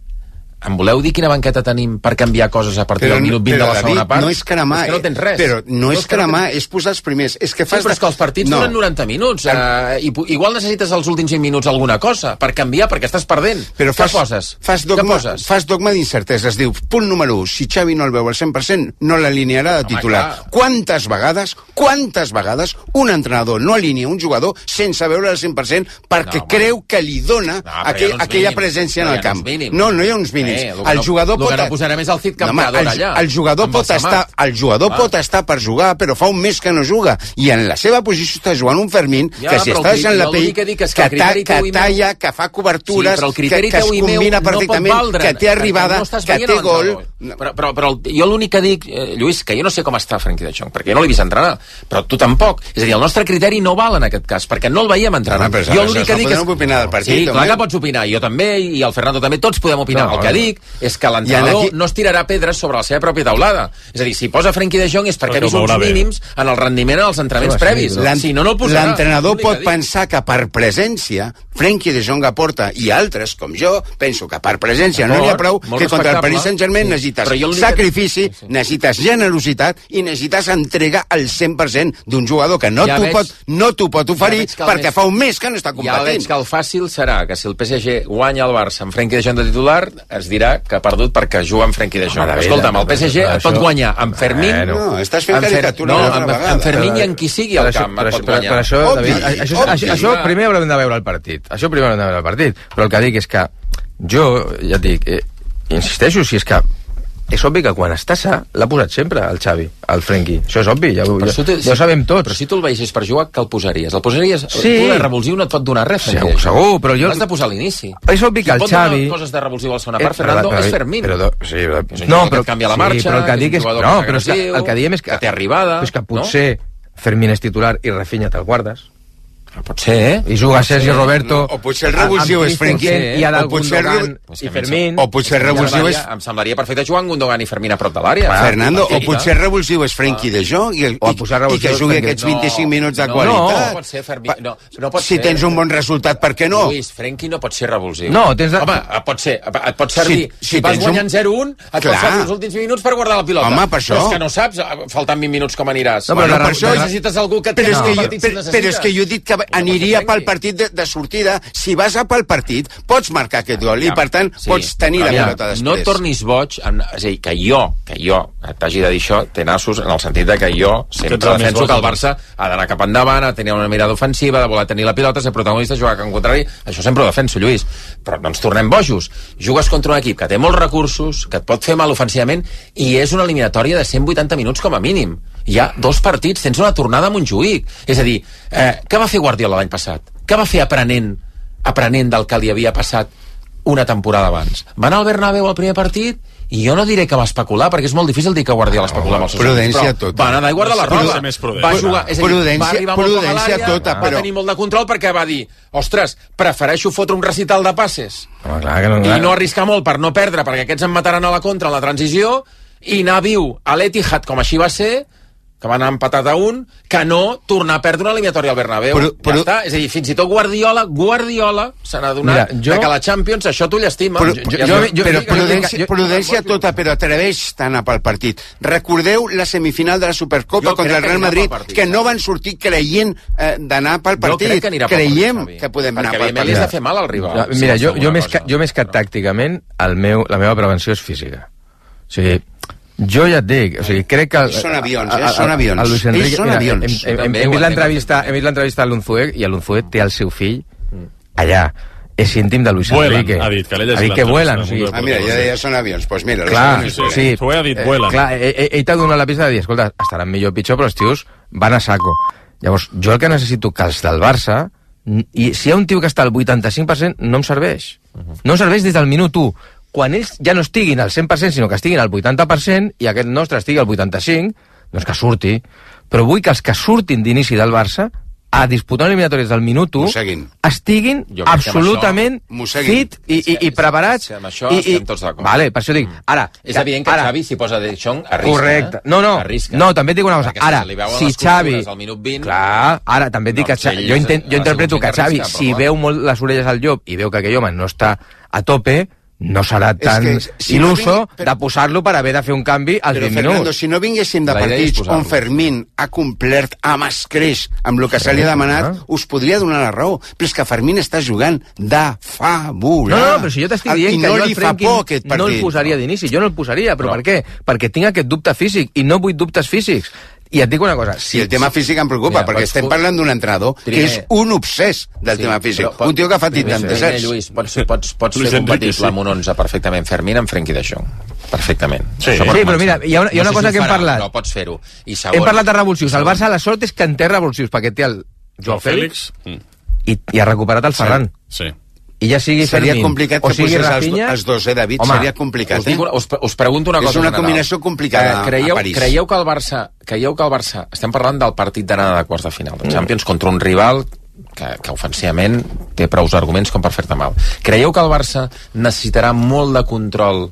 em voleu dir quina banqueta tenim per canviar coses a partir però, del minut vint de la segona David, part? No és cremar, és que no tens res. Però no, no és cremar, és posar els primers. És que fas sí, però és que els partits no. duren noranta minuts. Eh, i igual necessites els últims cinc minuts alguna cosa per canviar, perquè estàs perdent. Però fas, Què poses? Fas dogma, Què poses? Fas dogma d'incertesa. Es diu, punt número u, si Xavi no el veu al cent per cent, no l'alinearà de titular. Home, quantes vegades, quantes vegades un entrenador no alinea un jugador sense veure al cent per cent perquè no, creu que li dona no, aquell, aquella mínims. presència en el camp. No, no hi ha uns mínims. Eh, el jugador el que no posarem és el Cid Campeador no, allà. El jugador, pot estar, el jugador ah. pot estar per jugar, però fa un mes que no juga. I en la seva posició està jugant un Fermín ja, que si està deixant la pell, que, que, que, ta, que talla, que fa cobertures, sí, que, que es combina perfectament, no que té arribada, no que té gol... Però, però, però jo l'únic que dic, eh, Lluís, que jo no sé com està Frenkie de Jong, perquè jo no l'he vist entrenar, però tu tampoc. És a dir, el nostre criteri no val en aquest cas, perquè no el veiem entrenar. No, jo l'únic que dic és... opinar del partit, sí, clar que pots opinar, jo també, i el Fernando també, tots podem opinar. El que dic és que l'entrenador no es tirarà pedres sobre la seva pròpia taulada. És a dir, si posa Frenkie de Jong és perquè ha vist uns mínims en el rendiment en els entrenaments previs. Si no, no el posarà. L'entrenador pot pensar que per presència Frenkie de Jong aporta, i altres, com jo, penso que per presència no n'hi ha prou, que contra el Paris Saint-Germain necessites sacrifici, necessites generositat i necessites entrega al cent per cent d'un jugador que no t'ho pot, no t'ho pot oferir perquè fa un mes que no està competint. Ja veig que el fàcil serà que si el P S G guanya el Barça amb Frenkie de Jong de titular, es dirà que ha perdut perquè juga amb Frenkie de Jong. Escolta'm, el P S G et pot guanyar amb Fermín... No, estàs fent caricatura una altra vegada. Amb Fermín i amb qui sigui el camp et pot guanyar. Per això, David, això primer haurem de veure el partit. Això primer haurem de veure el partit. Però el que dic és que jo, ja et dic, insisteixo, si és que és obvi que quan està sa l'ha posat sempre el Xavi, el Frenkie, això és obvi, ja, ja, ja, ja ho sabem tots. Però si tu el veies per jugar, que el posaries? El posaries, sí. Tu de revulsiu no et pot donar res, segur, segur, però jo... L'has de posar a l'inici. És obvi que el Xavi... Qui pot donar coses de revulsiu a la segona part, Fernando, és Fermín. Però, sí, però... És un no, però, que canvia la marxa, sí, però el que dic és... No, però és que, el que diem és que... Que té arribada... És que potser Fermín és titular i Rafinha te'l guardes. Pot ser, eh? I juga Sergi Roberto... O potser el revulsiu és Frenkie i ha de Gundogan i Fermín... O potser el revulsiu és... Em semblaria perfecte jugar amb Gundogan i Fermín a prop de l'àrea. Fernando, o potser el revulsiu és Frenkie de Jong i que jugui aquests vint-i-cinc minuts de qualitat. No, pot ser Fermín... No pot ser. Si tens un bon resultat, per què no? Lluís, Frenkie no pot ser revulsiu. No, tens... Home, pot ser. Et pot servir. Si vas guanyant zero un, et pot servir els últims minuts per guardar la pilota. Home, per això. Però és que no saps, faltant vint minuts com aniràs. No, però per això necessites algú que té el partit si necessites. Però és que jo he dit que aniria pel partit de, de sortida. Si vas a pel partit, pots marcar aquest gol i, per tant, sí, pots tenir la pilota després. No tornis boig, en, és a dir, que jo, que jo t'hagi de dir això, té nassos en el sentit de que jo sempre defenso que el Barça ha d'anar cap endavant, ha de tenir una mirada ofensiva, de voler tenir la pilota, ser protagonista, jugar en contrari. Això sempre ho defenso, Lluís. Però no ens tornem bojos. Jugues contra un equip que té molts recursos, que et pot fer mal ofensivament, i és una eliminatòria de cent vuitanta minuts com a mínim. Hi ha dos partits, tens una tornada a Montjuïc. És a dir, eh, què va fer Guardiola l'any passat? Què va fer aprenent, aprenent del que li havia passat una temporada abans? Va anar al Bernabéu al primer partit i jo no diré que va especular, perquè és molt difícil dir que Guardiola especular amb els seus prudència equips, tota. Va anar d'aigua de la roda. Va jugar, és a dir, prudència, va arribar molt poc a l'àrea, tota, va però... tenir molt de control perquè va dir, ostres, prefereixo fotre un recital de passes oh, clar, que no, clar. i no arriscar molt per no perdre, perquè aquests em mataran a la contra en la transició, i anar viu a l'Etihad, com així va ser, que va anar empatat a un, que no tornar a perdre una eliminatòria al Bernabéu. Però, però... Ja està. És a dir, fins i tot Guardiola, Guardiola se n'ha donat Mira, jo... que la Champions això t'ho llestima. Però, jo, jo, jo, però prudència, jo, prudència jo, tota, però atreveix tant a pel partit. Recordeu la semifinal de la Supercopa jo contra el Real Madrid, partit, que no van sortir creient eh, d'anar pel partit. Jo crec que Creiem partit, que podem anar pel partit. Perquè a de fer mal al rival. Ja, mira, jo, jo, més que, jo més que tàcticament, el meu, la meva prevenció és física. O sigui, Jo ja et dic, o sigui, crec que... Ells són avions, eh? Són avions. El Luis Enrique, Ells són mira, avions. Hem, hem, hem, hem vist l'entrevista hem vist l'entrevista a l'Unzué, i l'Unzué té el seu fill allà. És íntim de Luis vuelan, Enrique. ha dit, que l'he llegit ha dit que vuelan. O sigui, Ah, mira, ja, ja són avions. Doncs pues mira, clar, sí, sí, Ho he dit, eh, vuelan. clar, ell, ell t'ha donat la pista de dir, escolta, estaran millor o pitjor, però els tios van a saco. Llavors, jo el que necessito que els del Barça, i si hi ha un tio que està al vuitanta-cinc per cent, no em serveix. No em serveix des del minut u. Quan ells ja no estiguin al cent per cent, sinó que estiguin al vuitanta per cent, i aquest nostre estigui al vuitanta-cinc, doncs que surti. Però vull que els que surtin d'inici del Barça a disputar eliminatòries del minut u estiguin absolutament fit i, i, i preparats. Amb això i, estem tots d'acord. Vale, per això dic, ara... És evident que ara, Xavi, si posa De Jong, arrisca. Correcte. No, no, arrisca. no, també et dic una cosa. Perquè Ara, se li veuen si les Xavi... al minut vint... Clar, ara també et dic No, que Xavi... sí, Jo, intent, jo ha interpreto sigut que Xavi, arriscar, si però veu molt les orelles al llop i veu que aquell home no està a tope, no serà tan que, si il·luso no vinc, de posar-lo per haver de fer un canvi als Però, vint Fernando, minuts. si no vinguéssim de La idea és partits posar-lo. on Fermín ha complert amb escreix amb el que se li ha demanat, Ah. us podria donar la raó. Però és que Fermín està jugant de fabular. No, no, però si jo t'estic dient I que no jo li el fa Frenkie por aquest no el partit. posaria d'inici, jo no el posaria, però No. per què? Perquè tinc aquest dubte físic, i no vull dubtes físics. I et dic una cosa, Si el tema físic em preocupa, Mira, perquè pots- estem parlant d'un entrenador que Primer- és un obsès del Sí, tema físic. però pot- Un tio que fa primer, vuitanta-set. primer, Lluís, pots, pots, pots Luis fer Enrique, compatible sí. amb un onze perfectament Fermín amb Frenkie de Jong. Perfectament. Sí. Això Sí, per però començar. mira, hi ha una- hi ha una no sé cosa si que ho hem farà, parlat. Però pots fer-ho. I segon, hem parlat de revulsius. El segon, Barça, la sort és que en té revulsius, perquè té el Joao Fèlix Mm. i, i ha recuperat el Ferran. Sí. I ja sigui Seria Fermín complicat o que sigui posés els, Rafinha... els dos, eh, David? Home, Seria complicat, Us, eh? dic, una- us, us pregunto una És cosa. una en general. combinació complicada Eh, creieu, a París. Creieu que el Barça... Creieu que el Barça... Estem parlant del partit d'anada de quarts de final de Champions contra un rival que, que ofensivament té prous arguments com per fer-te mal. Creieu que el Barça necessitarà molt de control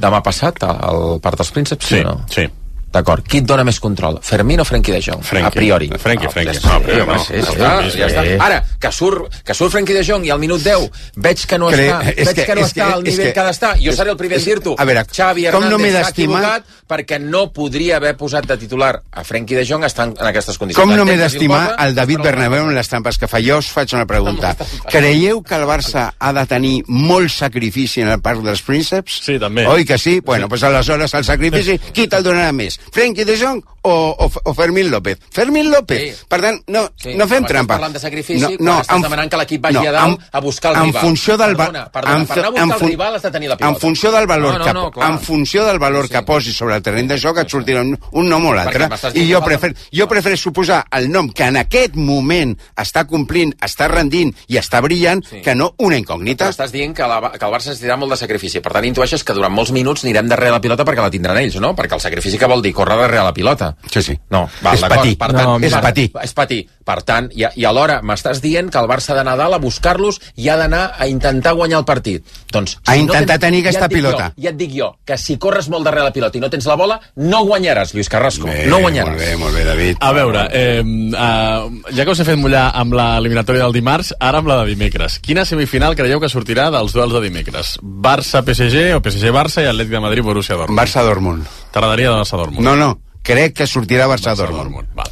demà passat al part dels prínceps, sí, Sí, o no? sí. D'acord. Qui et dona més control? Fermín o Frenkie de Jong? Frenkie. A priori. Frenkie, Ah, Frenkie. Ja està, No, però ja no. està, ja Sí, està, sí, ja està. sí. Ara, que surt, que surt Frenkie de Jong i al minut deu veig que no Cre- està, és veig que- que no és està que- al és nivell que- que ha d'estar. Jo seré el primer és- en dir-t'ho. a veure, Xavi com no m'he Hernández s'ha d'estimar- equivocat perquè no podria haver posat de titular a Frenkie de Jong estant en aquestes condicions. Com no m'he Entenc que si el d'estimar posa, el David però- Bernabéu en les trampes que fa? Jo us faig una pregunta. Creieu que el Barça ha de tenir molt sacrifici en el parc dels prínceps? Sí, també. Oi que sí? Bueno, doncs aleshores el sacrifici, qui te'l donarà més? Frenkie de Jong o, o, o Fermín López? Fermín López. Sí. Per tant, no, Sí, no fem però estàs trampa. parlant de sacrifici quan estàs en- demanant que l'equip vagi a dalt a buscar el en rival. Funció del va- Perdona, perdona, en per anar a fu- buscar en el fun- rival has de tenir la pilota. En funció del valor, No, no, que, no, clar. en funció del valor Sí. que posis sobre el terreny de joc et sortirà un, un nom o l'altre. Perquè m'estàs I dient jo, que prefer, falta- jo prefereixo posar el nom que en aquest moment està complint, està rendint i està brillant, Sí. que no una Però incògnita. estàs dient que, la, que el Barça necessitarà molt de sacrifici. Per tant, intueixes que durant molts minuts anirem darrere la pilota perquè la tindran ells, no? Perquè el sacrifici que vol dir córrer darrere la pilota. Sí, sí. No, val, És d'acord. patir. Per No, tant, és per- patir. És patir. Per tant, i, i alhora m'estàs dient que el Barça ha d'anar a dalt a buscar-los i ha d'anar a intentar guanyar el partit. Doncs, A intentar tenir aquesta ja et dic pilota. Jo, ja et dic jo, que si corres molt darrere la pilota i no tens la bola, no guanyaràs, Lluís Carrasco. Bé, no guanyaràs. Molt bé, molt bé, David. A veure, eh, eh, ja que us he fet mullar amb l'eliminatòria del dimarts, ara amb la de dimecres. Quina semifinal creieu que sortirà dels duels de dimecres? Barça-P S G o P S G-Barça i Atlètic de Madrid-Borussia Dortmund? Barça-Dortmund. T'agradaria de Barça-Dortmund? No, no, crec que sortirà Barça-Dortmund. Barça-Dortmund, val.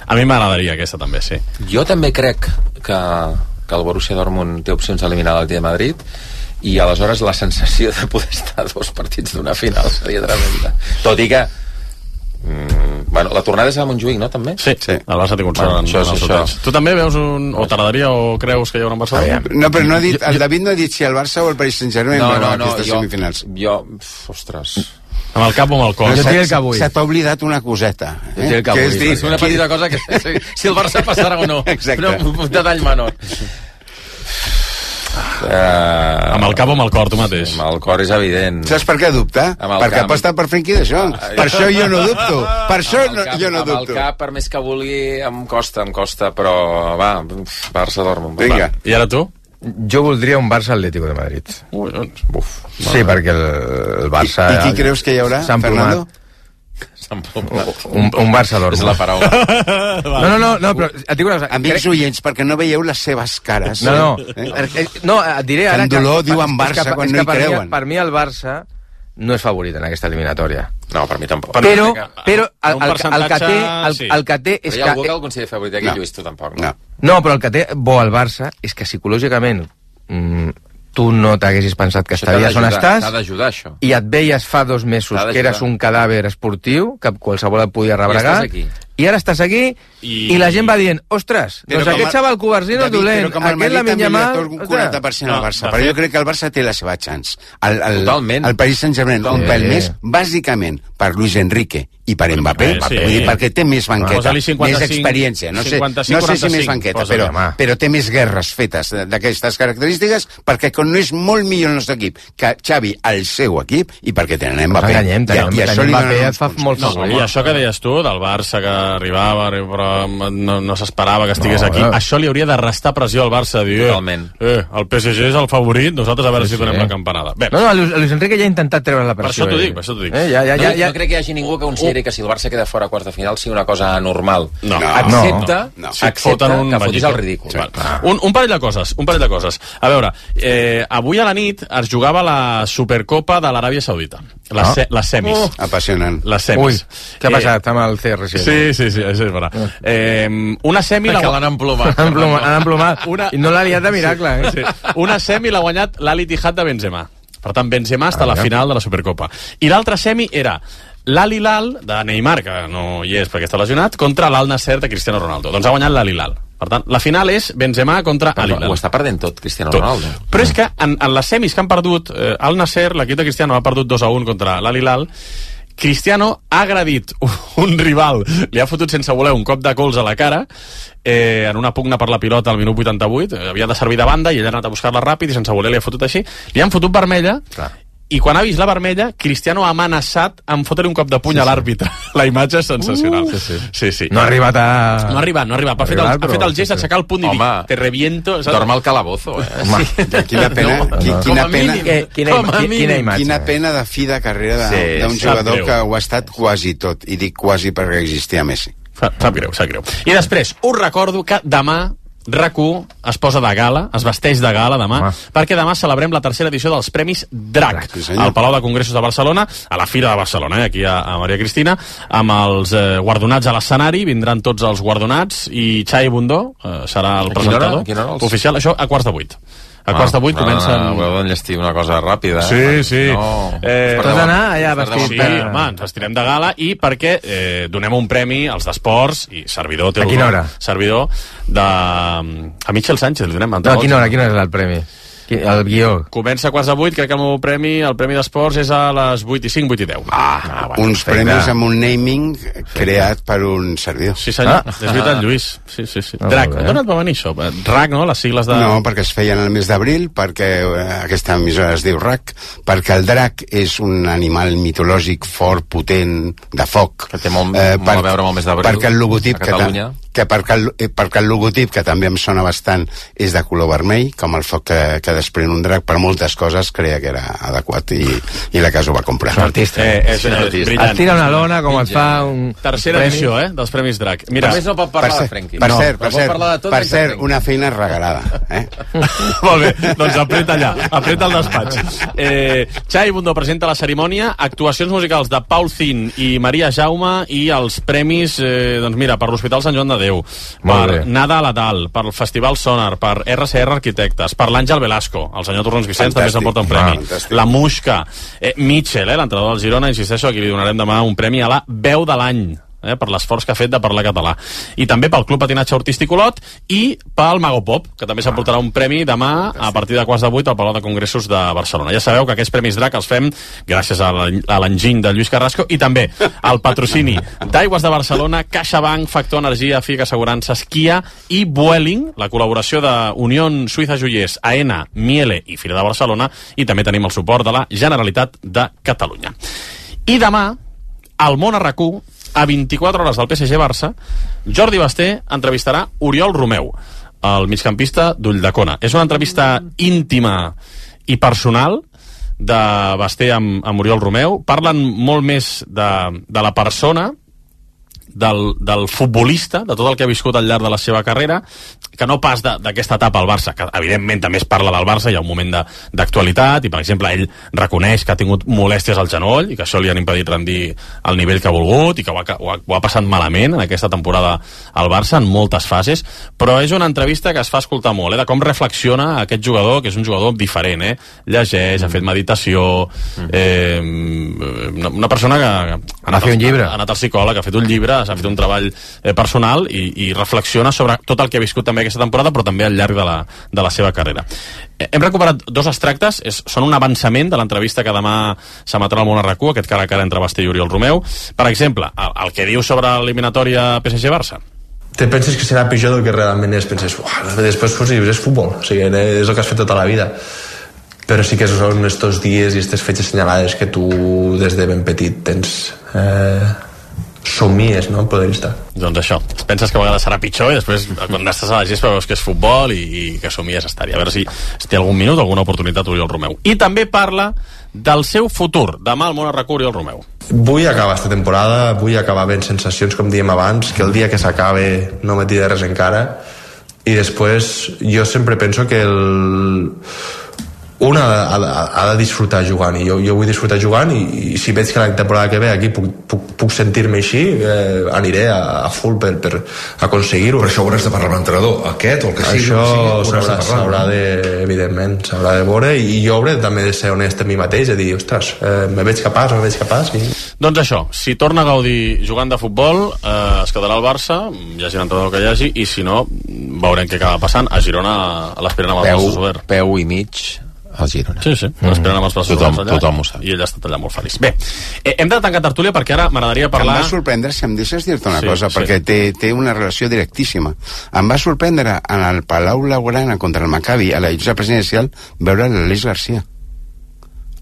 A mi m'agradaria aquesta també, sí. Jo també crec que, que el Borussia Dortmund té opcions d'eliminar l'Atlètic de Madrid i aleshores la sensació de poder estar a dos partits d'una final seria tremenda. Tot i que mm, bueno, la tornada és a Montjuïc, no, també? Sí, Sí. el Barça té concert Bueno, en, això en és els això. hotels. Tu també veus un... o t'agradaria o creus que hi haurà un Barça? No, però no ha dit, el David no ha dit si el Barça o el Paris Saint-Germain No, veuen no, no, aquestes jo, semifinals. jo, pf, ostres... Amb el cap o amb el cor? Jo Se- diria que avui. Se t'ha oblidat una coseta. Jo diria que avui. és dir, És una petita cosa que si, si el Barça passarà o no. Exacte. No, un detall menor. Uh, Amb el cap o amb el cor, tu mateix? Amb el cor és evident. Saps per què dubta? Amb el Perquè camp. aposta per Frenkie de Jong. Per això jo no dubto. Per això Amb el no, cap, jo no amb el dubto. cap, per més que vulgui, em costa, em costa, però va, Barça Dortmund. Vinga. I ara tu? Jo voldria un Barça-Atlético de Madrid. Ui, doncs, Buf. Sí, perquè el, el Barça... I, I qui creus que hi haurà, s'ha emplomat. Fernando? Un, un Barça-Dortmund. És la paraula. No, no, no, no, però et dic una cosa. Amics oients, perquè no veieu les seves cares. No, no, Eh? eh, no, et diré ara... Amb dolor que, diuen és Barça que, quan és no que hi per mi- creuen. Per mi el Barça no és favorit en aquesta eliminatòria. No, per mi tampoc. Per- Però, que- però el, un el, el, que té, percentatge, el, sí. el que té és Però hi ha algú que que... el considera favorit aquí, No. Lluís, tu tampoc, No. No, però el que té bo al Barça és que psicològicament mm, tu no t'haguessis pensat que estaries on estàs, t'ha d'ajudar, això. I et veies fa dos mesos que eres un cadàver esportiu, que qualsevol et podia rebregar, i ara estàs aquí, i, i la gent va dient, ostres, doncs aquest xaval Covarsino és dolent, aquest la minya mal... un quaranta per cent al Barça, però jo crec que el Barça té la seva chance. El, el, Totalment. El Paris Saint-Germain, un pèl més, bàsicament, per Luis Enrique i per Mbappé, sí. Vull dir, perquè té més banqueta, més experiència, no sé, no sé si més banqueta, però, però té més guerres fetes d'aquestes característiques, perquè no és molt millor el nostre equip que Xavi al seu equip, i perquè tenen Mbappé. Enganyem, tenim, i, i això Mbappé et fa molt no, I això que deies tu, del Barça que arribava, però no, no s'esperava que estigués no, aquí, eh. això li hauria de restar pressió al Barça, dir, eh, eh, el P S G és el favorit, nosaltres a veure sí, si donem sí. la campanada. Bé. No, no, Luis Enrique ja ha intentat treure la pressió. Per això t'ho dic, per això t'ho dic. Eh, ja, ja, ja, no, ja. no crec que hi hagi ningú que consideri que si el Barça queda fora a quarts de final sigui una cosa anormal. No. Accepta, no, no. accepta un que fotis el ridícul. Sí. Un, un parell de coses, un parell de coses. A veure, eh, avui a la nit es jugava la Supercopa de l'Aràbia Saudita. Les, ah. se, les semis. Oh. Apassionant. Les semis. Ui, què ha passat eh, amb el C R C? Sí, sí, sí, això és vera. Eh, una semi... Perquè l'han emplomat. Han emplomat. Una... I no l'ha liat de miracle, eh? Sí. Una semi l'ha guanyat l'Al Ittihad de Benzema. Per tant, Benzema està a la final de la Supercopa. I l'altra semi era l'Al Hilal de Neymar, que no hi és perquè està lesionat, contra l'Al Nasser de Cristiano Ronaldo. Doncs ha guanyat l'Al Hilal. Per tant, la final és Benzema contra Al Hilal. Ho està perdent tot, Cristiano tot. Ronaldo. Però és que en, en les semis que han perdut, eh, Al Nasser, l'equip de Cristiano, ha perdut dos a un contra l'Al Hilal. Cristiano ha agredit un rival, li ha fotut sense voler un cop de cols a la cara, eh, en una pugna per la pilota al minut vuitanta-vuit, eh, havia de servir de banda i ell ha anat a buscar-la ràpid i sense voler li ha fotut així, li han fotut vermella. Clar. I quan ha vist la vermella, Cristiano ha amenaçat amb fotre un cop de puny sí, a l'àrbitre. Sí. La imatge és sensacional. Uh, sí, sí. Sí, sí. No ha arribat a... No ha arribat, no ha arribat. Ha fet el, ha fet el gest d'aixecar el punt i dir, te reviento. Dorm al calabozo, eh? Home, sí. Quina pena, no, no. Quina, pena que, quina, quina, quina imatge. Quina pena de fi de carrera d'un sí, jugador que ho ha estat quasi tot. I dic quasi perquè existia Messi. Sap greu, sap greu. I després, us recordo que demà RAC u es posa de gala, es vesteix de gala demà, ah. perquè demà celebrem la tercera edició dels Premis Drac, sí, al Palau de Congressos de Barcelona, a la Fira de Barcelona, eh, aquí a, a Maria Cristina, amb els eh, guardonats a l'escenari, vindran tots els guardonats, i Xavi Bundó eh, serà el presentador oficial, això a quarts de vuit. A quarts de vuit ah, comencen... No, no, no, enllestir una cosa ràpida. Sí, sí. No. Eh, T'has d'anar allà vestit. Sí, home, ens vestirem de gala i perquè eh, donem un premi als d'esports i servidor... A quina hora? Servidor de... A Michel Sánchez li donem. No, a quina hora? A quina hora és el premi? El guió. Comença a quarts de vuit, crec que el meu premi, el premi d'esports és a les vuit i cinc, vuit i deu. Ah, ah bueno, uns premis amb un naming creat per un servidor. Sí, senyor. Ah. És veritat, Lluís. Sí, sí, sí. Ah, Drac. D'on et va venir això? RAC, no? Les sigles de... No, perquè es feien el mes d'abril, perquè aquesta emissora es diu RAC, perquè el drac és un animal mitològic fort, potent, de foc. Que té molt, eh, per, molt a veure amb el mes d'abril. Perquè el logotip que, ta, que, perquè el, perquè el logotip, que també em sona bastant, és de color vermell, com el foc que, que desprèn un drac, per moltes coses creia que era adequat i, i la casa ho va comprar. És un artista. Eh, és, és, és es tira una lona com es fa un... Tercera premi. Edició, eh, dels Premis Drac. Mira, només no pot parlar per de Frenkie. Per no, cert, per cert, tot per cert una feina regalada. Eh? Molt bé, doncs apreta allà, apreta el despatx. Eh, Xavi Bundó presenta la cerimònia, actuacions musicals de Paul Zin i Maria Jaume i els premis, eh, doncs mira, per l'Hospital Sant Joan de Déu, per Nada a la Dal, per el Festival Sonar, per R C R Arquitectes, per l'Àngel Velasco, el senyor Torrons Vicenç també s'emporta un premi. Ah, la Muixca, eh, Mitchell, eh, l'entrenador del Girona, insisteixo, aquí li donarem demà un premi a la veu de l'any, eh, per l'esforç que ha fet de parlar català. I també pel Club Patinatge Artístic Olot i pel Mago Pop, que també s'emportarà un premi demà a partir de quarts de vuit al Palau de Congressos de Barcelona. Ja sabeu que aquests Premis Drac els fem gràcies a l'enginy de Lluís Carrasco i també al patrocini d'Aigües de Barcelona, CaixaBank, Factor Energia, Fica Assegurances, Kia i Vueling, la col·laboració de Unió Suïssa Joiers, AENA, Miele i Fira de Barcelona, i també tenim el suport de la Generalitat de Catalunya. I demà, al Món a RAC u, a vint-i-quatre hores del P S G Barça, Jordi Basté entrevistarà Oriol Romeu, el migcampista d'Ulldecona. És una entrevista íntima i personal de Basté amb, amb Oriol Romeu. Parlen molt més de, de la persona del, del futbolista, de tot el que ha viscut al llarg de la seva carrera, que no pas d'aquesta etapa al Barça, que evidentment també es parla del Barça, hi ha un moment d'actualitat, i per exemple ell reconeix que ha tingut molèsties al genoll i que això li han impedit rendir el nivell que ha volgut i que ho ha, ho ha, ho ha passat malament en aquesta temporada al Barça en moltes fases, però és una entrevista que es fa escoltar molt, eh, de com reflexiona aquest jugador, que és un jugador diferent, eh? Llegeix, mm. ha fet meditació, eh, una persona que ha anat, un llibre. ha anat al psicòleg, ha fet un llibre, s'ha fet un treball eh, personal i, i reflexiona sobre tot el que ha viscut també aquesta temporada, però també al llarg de la, de la seva carrera. Eh, hem recuperat dos extractes, és, són un avançament de l'entrevista que demà s'emetrà al Món a R u, aquest cara a cara entre Basté i Oriol Romeu. Per exemple, el, el que diu sobre l'eliminatòria P S G-Barça. Te penses que serà pitjor del que realment és, penses, després pues, és futbol, o sigui, és el que has fet tota la vida, però sí que són estos dies i aquestes fetges assenyalades que tu des de ben petit tens eh, somies, no?, en poder estar. Doncs això, penses que a vegades serà pitjor i després quan estàs a la gespa veus que és futbol i, i que somies estar-hi. A veure si, si té algun minut, alguna oportunitat Oriol Romeu. I també parla del seu futur. Demà al Món a R u Oriol Romeu. Vull acabar esta temporada, vull acabar ben sensacions, com diem abans, que el dia que s'acabe no me tiri res encara, i després jo sempre penso que el... un ha, ha, ha de disfrutar jugant, i jo, jo vull disfrutar jugant, i, i si veig que la temporada que ve aquí puc, puc, puc sentir-me així, eh, aniré a, a full per, per aconseguir-ho. Per això hauràs de parlar amb l'entrenador, aquest o el que sigui. Això s'haurà de, s'haurà de, evidentment, s'haurà de veure, i jo hauré també de ser honest amb mi mateix, de dir, ostres, eh, me veig capaç, me veig capaç. I... Doncs això, si torna a gaudir jugant de futbol, eh, es quedarà al Barça, hi hagi l'entrenador que hi hagi, i si no, veurem què acaba passant. A Girona l'esperen amb els braços oberts. Peu i mig al Girona. Sí, sí, l'esperen amb els braços tothom, oberts allà, tothom ho sap. i ell ha estat allà molt feliç. Bé, eh, hem de tancar tertúlia perquè ara m'agradaria parlar... Em va sorprendre, si em deixes dir-te una sí, cosa, sí. perquè té, té una relació directíssima. Em va sorprendre en el Palau Blaugrana contra el Maccabi, a la llotja presidencial, veure l'Aleix Garcia.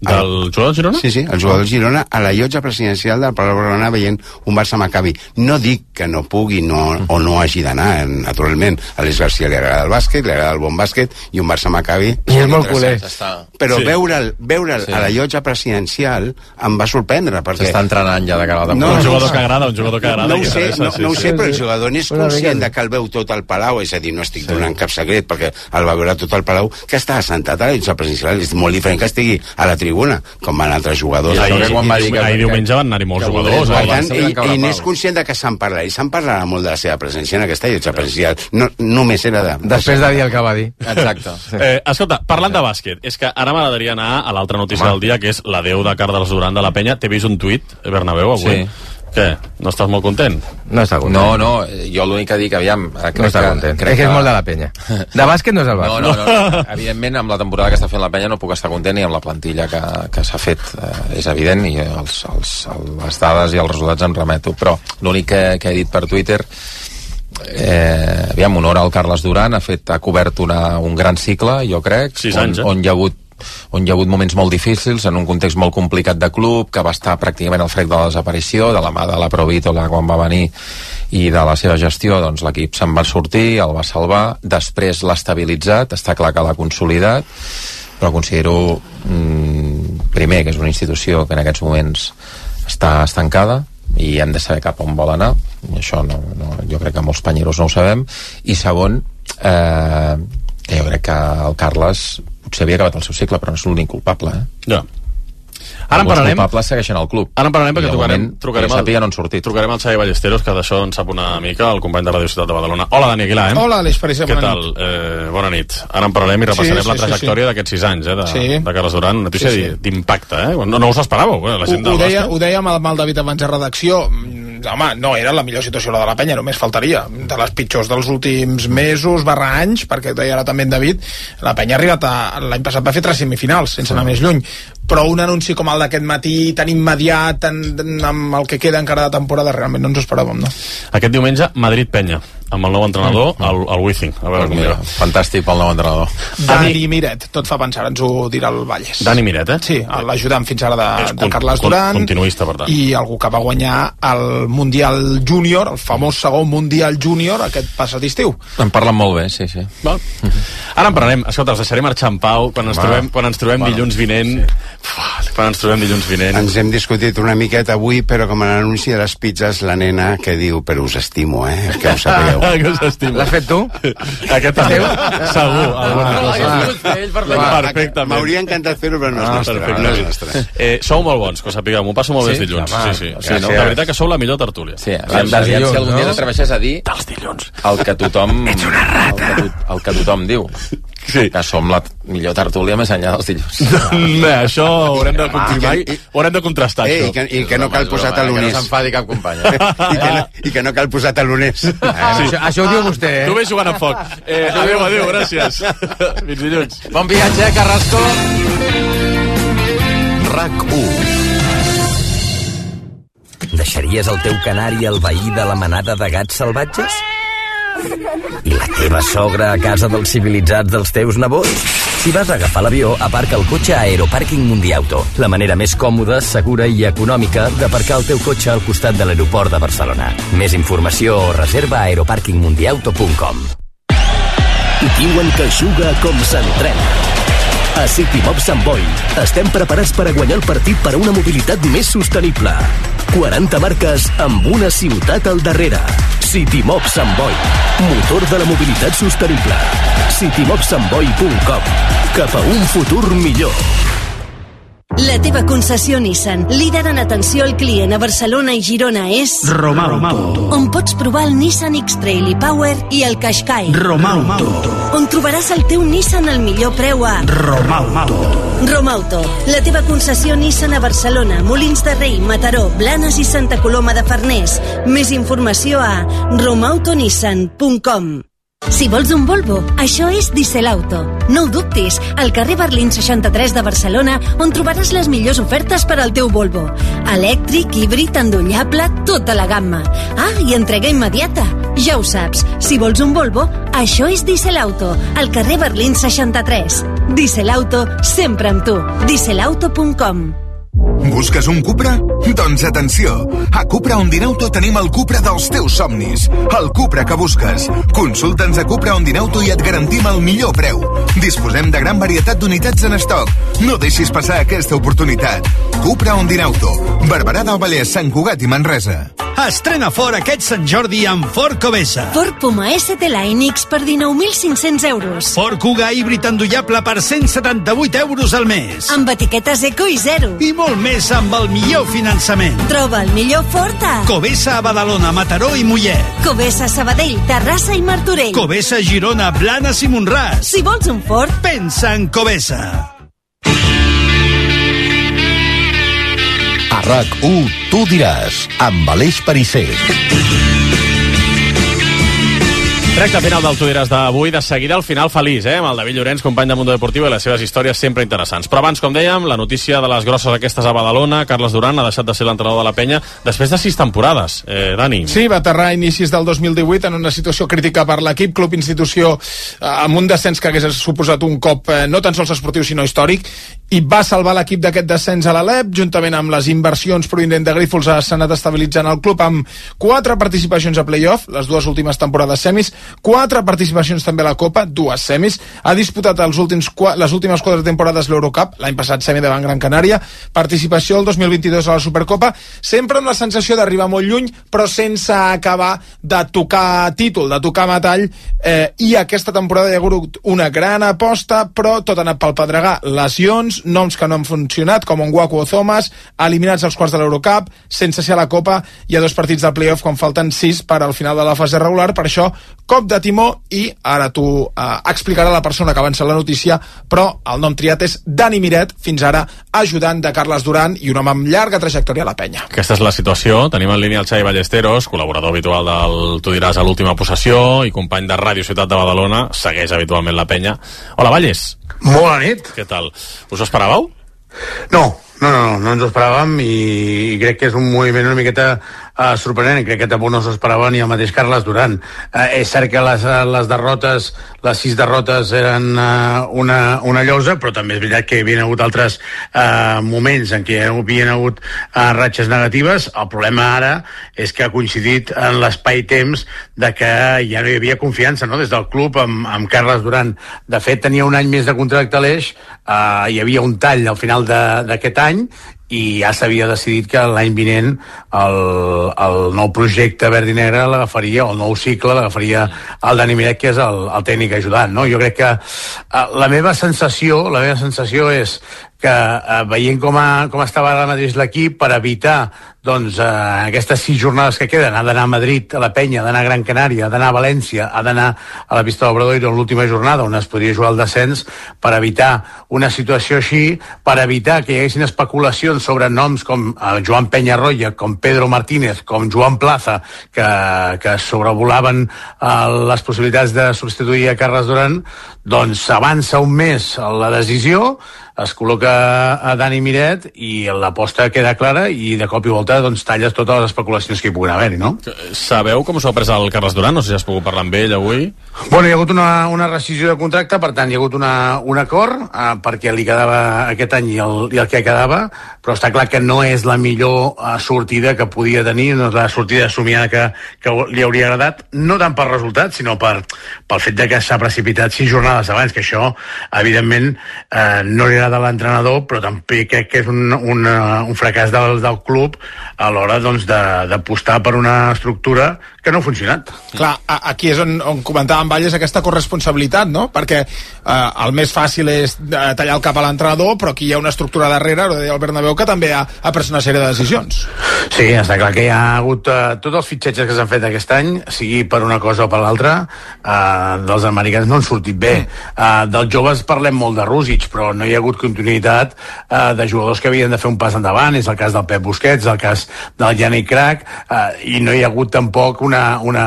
Del jugador del Girona? Sí, sí, el jugador del Girona a la llotja presidencial del Palau Blaugrana veient un Barça Maccabi. No dic que no pugui no, o no hagi d'anar, naturalment. A l'Aleix Garcia li agrada el bàsquet, li agrada el bon bàsquet, i un Barça Maccabi... I és molt culer. Però sí. veure'l veure'l sí. a la llotja presidencial em va sorprendre, perquè... S'està entrenant ja de cara a la No, un temporada. jugador que agrada, un jugador que agrada. No ho que sé, interessa, no, sí, no ho sí. sé, però el jugador n'és Una conscient mica. de que el veu tot al Palau, és a dir, no estic donant cap secret, perquè el va veure tot al Palau, que està assentat a la llotja presidencial. És molt diferent que estigui a la tribuna, com van altres jugadors. I ahir, que quan va dir que- ahir diumenge van anar-hi molts que jugadors. Per eh? tant, Barça ell, encara ell la n'és pau. conscient de que se'n parlarà, i se'n parlarà molt de la seva presència en aquesta llotja presidencial. No, només era de... Després de dir el que va dir. Exacte. Eh, escolta, parlant de bàsquet, és que ara m'agradaria anar a l'altra notícia del dia, que és l'adeu de Carles Duran de la Penya. T'he vist un tuit, Bernabéu, avui? Sí. Què? No estàs molt content? No està content. No, no, jo l'únic que dic, aviam... eh, Crec No està que, content. Crec És que és molt de la penya. De bàsquet no és el No, Barça. no, no, evidentment amb la temporada que està fent la Penya no puc estar content, i amb la plantilla que, que s'ha fet eh, és evident, i els, els, les dades i els resultats em remeto, però l'únic que, que he dit per Twitter, eh, aviam, honor al Carles Duran, ha fet, ha cobert una, un gran cicle, jo crec, Sis on, anys, eh? on hi ha hagut on hi ha hagut moments molt difícils, en un context molt complicat de club, que va estar pràcticament al frec de la desaparició, de la mà de la Provítola quan va venir, i de la seva gestió, doncs l'equip se'n va sortir, el va salvar, després l'ha estabilitzat, està clar que l'ha consolidat, però considero, mm, primer, que és una institució que en aquests moments està estancada, i hem de saber cap on vol anar, i això no, no, jo crec que molts panyeros no ho sabem, i segon, eh, que jo crec que el Carles potser havia acabat el seu cicle, però no és l'únic culpable, eh? Ja. Ara en Molts parlarem. culpables segueixen al club. Ara en parlarem perquè I de trucarem, moment, trucarem, que jo sàpiga, no han sortit. trucarem al Xavi Ballesteros, que d'això en sap una mica, el company de Radio Ciutat de Badalona. Hola, Dani Aguilar, eh? Hola, Aleix París, Què bona tal? nit. Eh, bona nit. Ara en parlarem i repassarem Sí, sí, la sí, trajectòria sí. d'aquests sis anys, eh, de, Sí. de Carles Duran. Una notícia Sí, sí. di- d'impacte, eh? No, no us esperàveu, eh? La Ho, gent del ho, deia, bàsquet. ho dèiem amb el David abans de redacció. Mm, home, no era la millor situació la de la Penya, només faltaria. De les pitjors dels últims mesos barra anys, perquè ho deia ara també en David, la Penya ha arribat a... L'any passat va fer tres semifinals, sense anar més lluny. Però un anunci com el d'aquest matí, tan immediat, tan, amb el que queda encara de temporada, realment no ens ho esperàvem, no? Aquest diumenge, Madrid-Penya, amb el nou entrenador, el, el Wizzing. A veure Doncs com mira, va. fantàstic pel nou entrenador. Dani Miret, tot fa pensar, ens ho dirà el Valles. Dani Miret, eh? Sí, l'ajudant fins ara de, És de con- Carles con- Duran. continuista, per tant. I algú que va guanyar el Mundial Júnior, el famós segon Mundial Júnior, aquest passat estiu. En parlen molt bé, sí, sí. Val. Ara en parlarem. Escolta, els deixaré marxar en pau quan ens trobem, quan ens trobem dilluns vinent. Sí. Quan ens trobem dilluns vinent. Ens hem discutit una miqueta avui, però com a l'anunci de les pizzas, la nena que diu, però us estimo, eh? Que ho sabeu. Que us estimo. L'has fet tu? Aquest també. Segur, alguna cosa. Perfectament. M'hauria encantat fer-ho, però no és nostre. No és nostre. Eh, sou molt bons, que ho sapigueu. M'ho passo molt bé els dilluns. Sí, sí. sí no? La veritat que sou la millor tertúlia. Sí, aviam si algun dia t'atreveixes a dir dels dilluns el que tothom... Ets una rata. El que, el que tothom diu. Sí. Que som la millor tertúlia més enllà dels dilluns. Bé, això ho haurem de confirmar i ho haurem de contrastar, eh, això. I que, i que no cal posar taloners. Que no s'enfadi cap company. I, que no, I que no cal posar taloners. Sí. Això, això ho diu vostè, eh? Tu ves jugant a foc. Eh, adéu, adéu, gràcies. Fins dilluns. Bon viatge, Carrasco. RAC u. Deixaries el teu canari al veí de la manada de gats salvatges? I la teva sogra a casa dels civilitzats dels teus nebots? Si vas a agafar l'avió, aparca el cotxe a Aeroparking Mundiauto, la manera més còmoda, segura i econòmica d'aparcar el teu cotxe al costat de l'aeroport de Barcelona. Més informació o reserva a aeroparking mundiauto punt com. Diuen que juga com s'entrena. A City Mob Sant Boi estem preparats per a guanyar el partit per a una mobilitat més sostenible. quaranta marques amb una ciutat al darrere. City Mob Sant Boi, motor de la mobilitat sostenible. city mob sant boi punt com. Cap a un futur millor. La teva concessió Nissan, líder en atenció al client a Barcelona i Girona, és Romauto, on pots provar el Nissan X-Trail i Power i el Qashqai. Romauto, on trobaràs el teu Nissan al millor preu a Romauto. Romauto, la teva concessió Nissan a Barcelona, Molins de Rei, Mataró, Blanes i Santa Coloma de Farners. Més informació a romauto nissan punt com. Si vols un Volvo, això és Dieselauto. No ho dubtis, al carrer Berlín seixanta-tres de Barcelona, on trobaràs les millors ofertes per al teu Volvo. Elèctric, híbrid, endollable, tota la gamma. Ah, i entrega immediata. Ja ho saps, si vols un Volvo, això és Dieselauto, al carrer Berlín seixanta-tres. Dieselauto, sempre amb tu. dieselauto punt com. Busques un Cupra? Doncs atenció! A Cupra Ondinauto tenim el Cupra dels teus somnis. El Cupra que busques. Consulta'ns a Cupra Ondinauto i et garantim el millor preu. Disposem de gran varietat d'unitats en estoc. No deixis passar aquesta oportunitat. Cupra Ondinauto. Barberà del Vallès, Sant Cugat i Manresa. Estrena Ford aquest Sant Jordi amb Ford Covesa. Ford Puma S T Line X per dinou mil cinc-cents euros. Ford Kuga híbrid endollable per cent setanta-vuit euros al mes. Amb etiquetes eco i zero. I molt més amb el millor finançament. Troba el millor Ford a Covesa a Badalona, Mataró i Mollet. Covesa Sabadell, Terrassa i Martorell. Covesa Girona, Blanes i Montràs. Si vols un Ford, pensa en Covesa. A RAC u, tu diràs, amb Aleix Perisser. Recte final del Tu diràs d'avui, de seguida al final feliç, eh? Amb el David Llorenç, company de Mundo Deportivo, i les seves històries sempre interessants. Però abans, com dèiem, la notícia de les grosses aquestes a Badalona, Carles Duran ha deixat de ser l'entrenador de la penya després de sis temporades. Eh, Dani? Sí, va aterrar a inicis del dos mil divuit en una situació crítica per l'equip, club institució eh, amb un descens que hagués suposat un cop eh, no tan sols esportiu sinó històric, i va salvar l'equip d'aquest descens a l'Alep, juntament amb les inversions provinents de Grífols s'ha anat estabilitzant el club amb quatre participacions a playoff, les dues últimes temporades semis, quatre participacions també a la Copa, dues semis, ha disputat els últims, les últimes quatre temporades l'Eurocup, l'any passat semi davant Gran Canària, participació el dos mil vint-i-dos a la Supercopa, sempre amb la sensació d'arribar molt lluny, però sense acabar de tocar títol, de tocar metall, eh, i aquesta temporada hi ha hagut una gran aposta, però tot ha anat pel pedregar, lesions, noms que no han funcionat, com Ngwaku o Thomas, eliminats als quarts de l'Eurocup, sense ser a la Copa, hi ha dos partits de playoff quan falten sis per al final de la fase regular, per això, cop de timó, i ara t'ho eh, explicarà la persona que avança la notícia, però el nom triat és Dani Miret, fins ara ajudant de Carles Duran i un home amb llarga trajectòria a la penya. Aquesta és la situació, tenim en línia el Xavi Ballesteros, col·laborador habitual del Tu diràs a l'última possessió i company de Ràdio Ciutat de Badalona, segueix habitualment la penya. Hola, Valles. Molt bona nit. Què tal? Us ho esperàveu? No, no, no, no ens ho esperàvem i crec que és un moviment una miqueta uh, sorprenent, crec que tampoc no s'ho esperava ni el mateix Carles Duran. Uh, és cert que les, les derrotes, les sis derrotes eren uh, una, una llosa, però també és veritat que hi havia hagut altres uh, moments en què hi havia hagut uh, ratxes negatives. El problema ara és que ha coincidit en l'espai-temps de que ja no hi havia confiança, no?, des del club amb, amb Carles Duran. De fet, tenia un any més de contracte a l'Eix, uh, hi havia un tall al final d'aquest any, i ja s'havia decidit que l'any vinent el, el nou projecte verd i negre l'agafaria, o el nou cicle l'agafaria el Dani Miret, que és el, el tècnic ajudant, no? Jo crec que uh, la meva sensació la meva sensació és que uh, veient com, a, com estava ara mateix l'equip, per evitar doncs, uh, aquestes sis jornades que queden, ha d'anar a Madrid, a la Penya, ha d'anar a Gran Canària, ha d'anar a València, ha d'anar a la pista d'Obradoiro en l'última jornada on es podria jugar el descens, per evitar una situació així, per evitar que hi haguessin especulacions sobre noms com uh, Joan Peñarroya, com Pedro Martínez, com Joan Plaza, que, que sobrevolaven uh, les possibilitats de substituir a Carles Duran. Doncs avança un mes la decisió, es col·loca a Dani Miret i l'aposta queda clara, i de cop i volta doncs, talles totes les especulacions que hi puguin haver-hi, no? Sabeu com s'ho ha pres el Carles Duran? No sé si has pogut parlar amb ell avui. Bueno, hi ha hagut una, una rescissió de contracte, per tant hi ha hagut una, un acord eh, perquè li quedava aquest any i el, i el que quedava, però està clar que no és la millor eh, sortida que podia tenir, no és la sortida somiada que, que li hauria agradat, no tant per resultat, sinó per, pel fet de que s'ha precipitat sis jornades abans, que això, evidentment, eh, no li agrada de l'entrenador, però també crec que és un, un, un fracàs del, del club a l'hora doncs, d'apostar per una estructura que no ha funcionat. Clar, aquí és on, on comentàvem, Valles, aquesta corresponsabilitat, no? Perquè eh, el més fàcil és tallar el cap a l'entrenador, però aquí hi ha una estructura darrere, ho deia el Bernabéu, que també ha, ha pres una sèrie de decisions. Sí, està clar que hi ha hagut eh, tots els fitxatges que s'han fet aquest any, sigui per una cosa o per l'altra, eh, dels americans no han sortit bé. Eh, dels joves parlem molt de Rússic, però no hi ha hagut continuïtat eh, de jugadors que havien de fer un pas endavant. És el cas del Pep Busquets, el cas del Yannick Crac, eh, i no hi ha hagut tampoc una, una,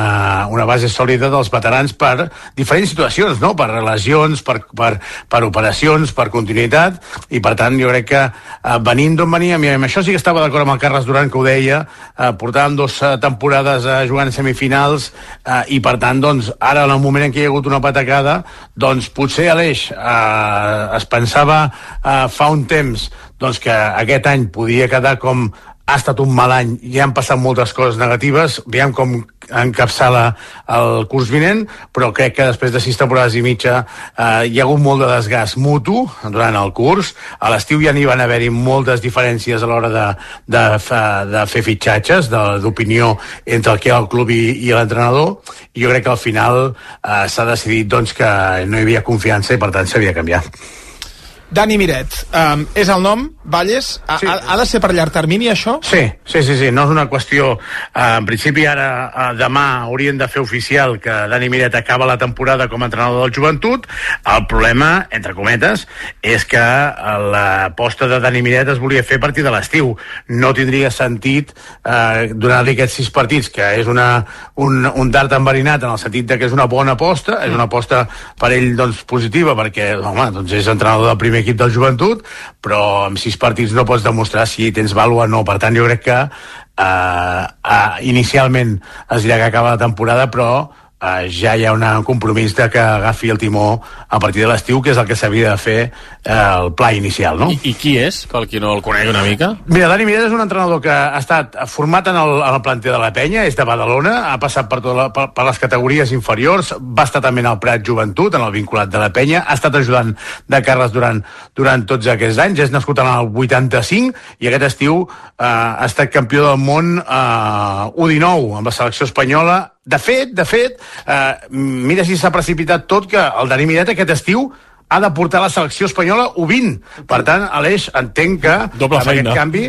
una base sòlida dels veterans per diferents situacions, no? Per lesions, per, per, per operacions, per continuïtat, i per tant jo crec que eh, venint d'on veníem, i amb això sí que estava d'acord amb el Carles Duran, que ho deia, eh, portàvem dues temporades eh, jugant semifinals, eh, i per tant doncs, ara en el moment en què hi ha hagut una patacada, doncs potser a l'Eix eh, es pensava Uh, fa un temps doncs, que aquest any podia quedar com ha estat un mal any, ja han passat moltes coses negatives, veiem com encapçala el curs vinent, però crec que després de sis temporades i mitja eh, hi ha hagut molt de desgast mutu durant el curs. A l'estiu ja n'hi van haver-hi moltes diferències a l'hora de, de, de fer fitxatges, d'opinió entre el que era el club i, i l'entrenador, i jo crec que al final eh, s'ha decidit doncs, que no hi havia confiança i per tant s'havia canviat. Dani Miret, um, és el nom, Valles? Ha, sí. ha, ha de ser per llarg termini, això? Sí, sí, sí, sí. No és una qüestió... Uh, en principi, ara, uh, demà, haurien de fer oficial que Dani Miret acaba la temporada com a entrenador del Joventut. El problema, entre cometes, és que l'aposta de Dani Miret es volia fer a partir de l'estiu. No tindria sentit uh, donar-li aquests sis partits, que és una, un, un dart enverinat en el sentit de que és una bona aposta, és una aposta per ell doncs, positiva, perquè home, doncs és entrenador del primer equip del Joventut, però amb sis partits no pots demostrar si tens vàlua o no. Per tant, jo crec que eh, eh, inicialment es dirà que acaba la temporada, però Uh, ja hi ha un compromís de que agafi el timó a partir de l'estiu, que és el que s'havia de fer uh, el pla inicial, no? I, I qui és, pel qui no el conegui una mica? Mira, Dani Miret és un entrenador que ha estat format en el, en el planter de la Penya, és de Badalona, ha passat per, tota la, per, per les categories inferiors, va estar també en el Prat Joventut, en el vinculat de la Penya, ha estat ajudant de Carles durant, durant tots aquests anys, és nascut en el vuitanta-cinc i aquest estiu uh, ha estat campió del món uh, U dinou amb la selecció espanyola. De fet, de fet, eh, mira si s'ha precipitat tot, que el Dani Miret aquest estiu ha de portar la selecció espanyola U vint. Per tant, Aleix, entenc que Doble amb feina. aquest canvi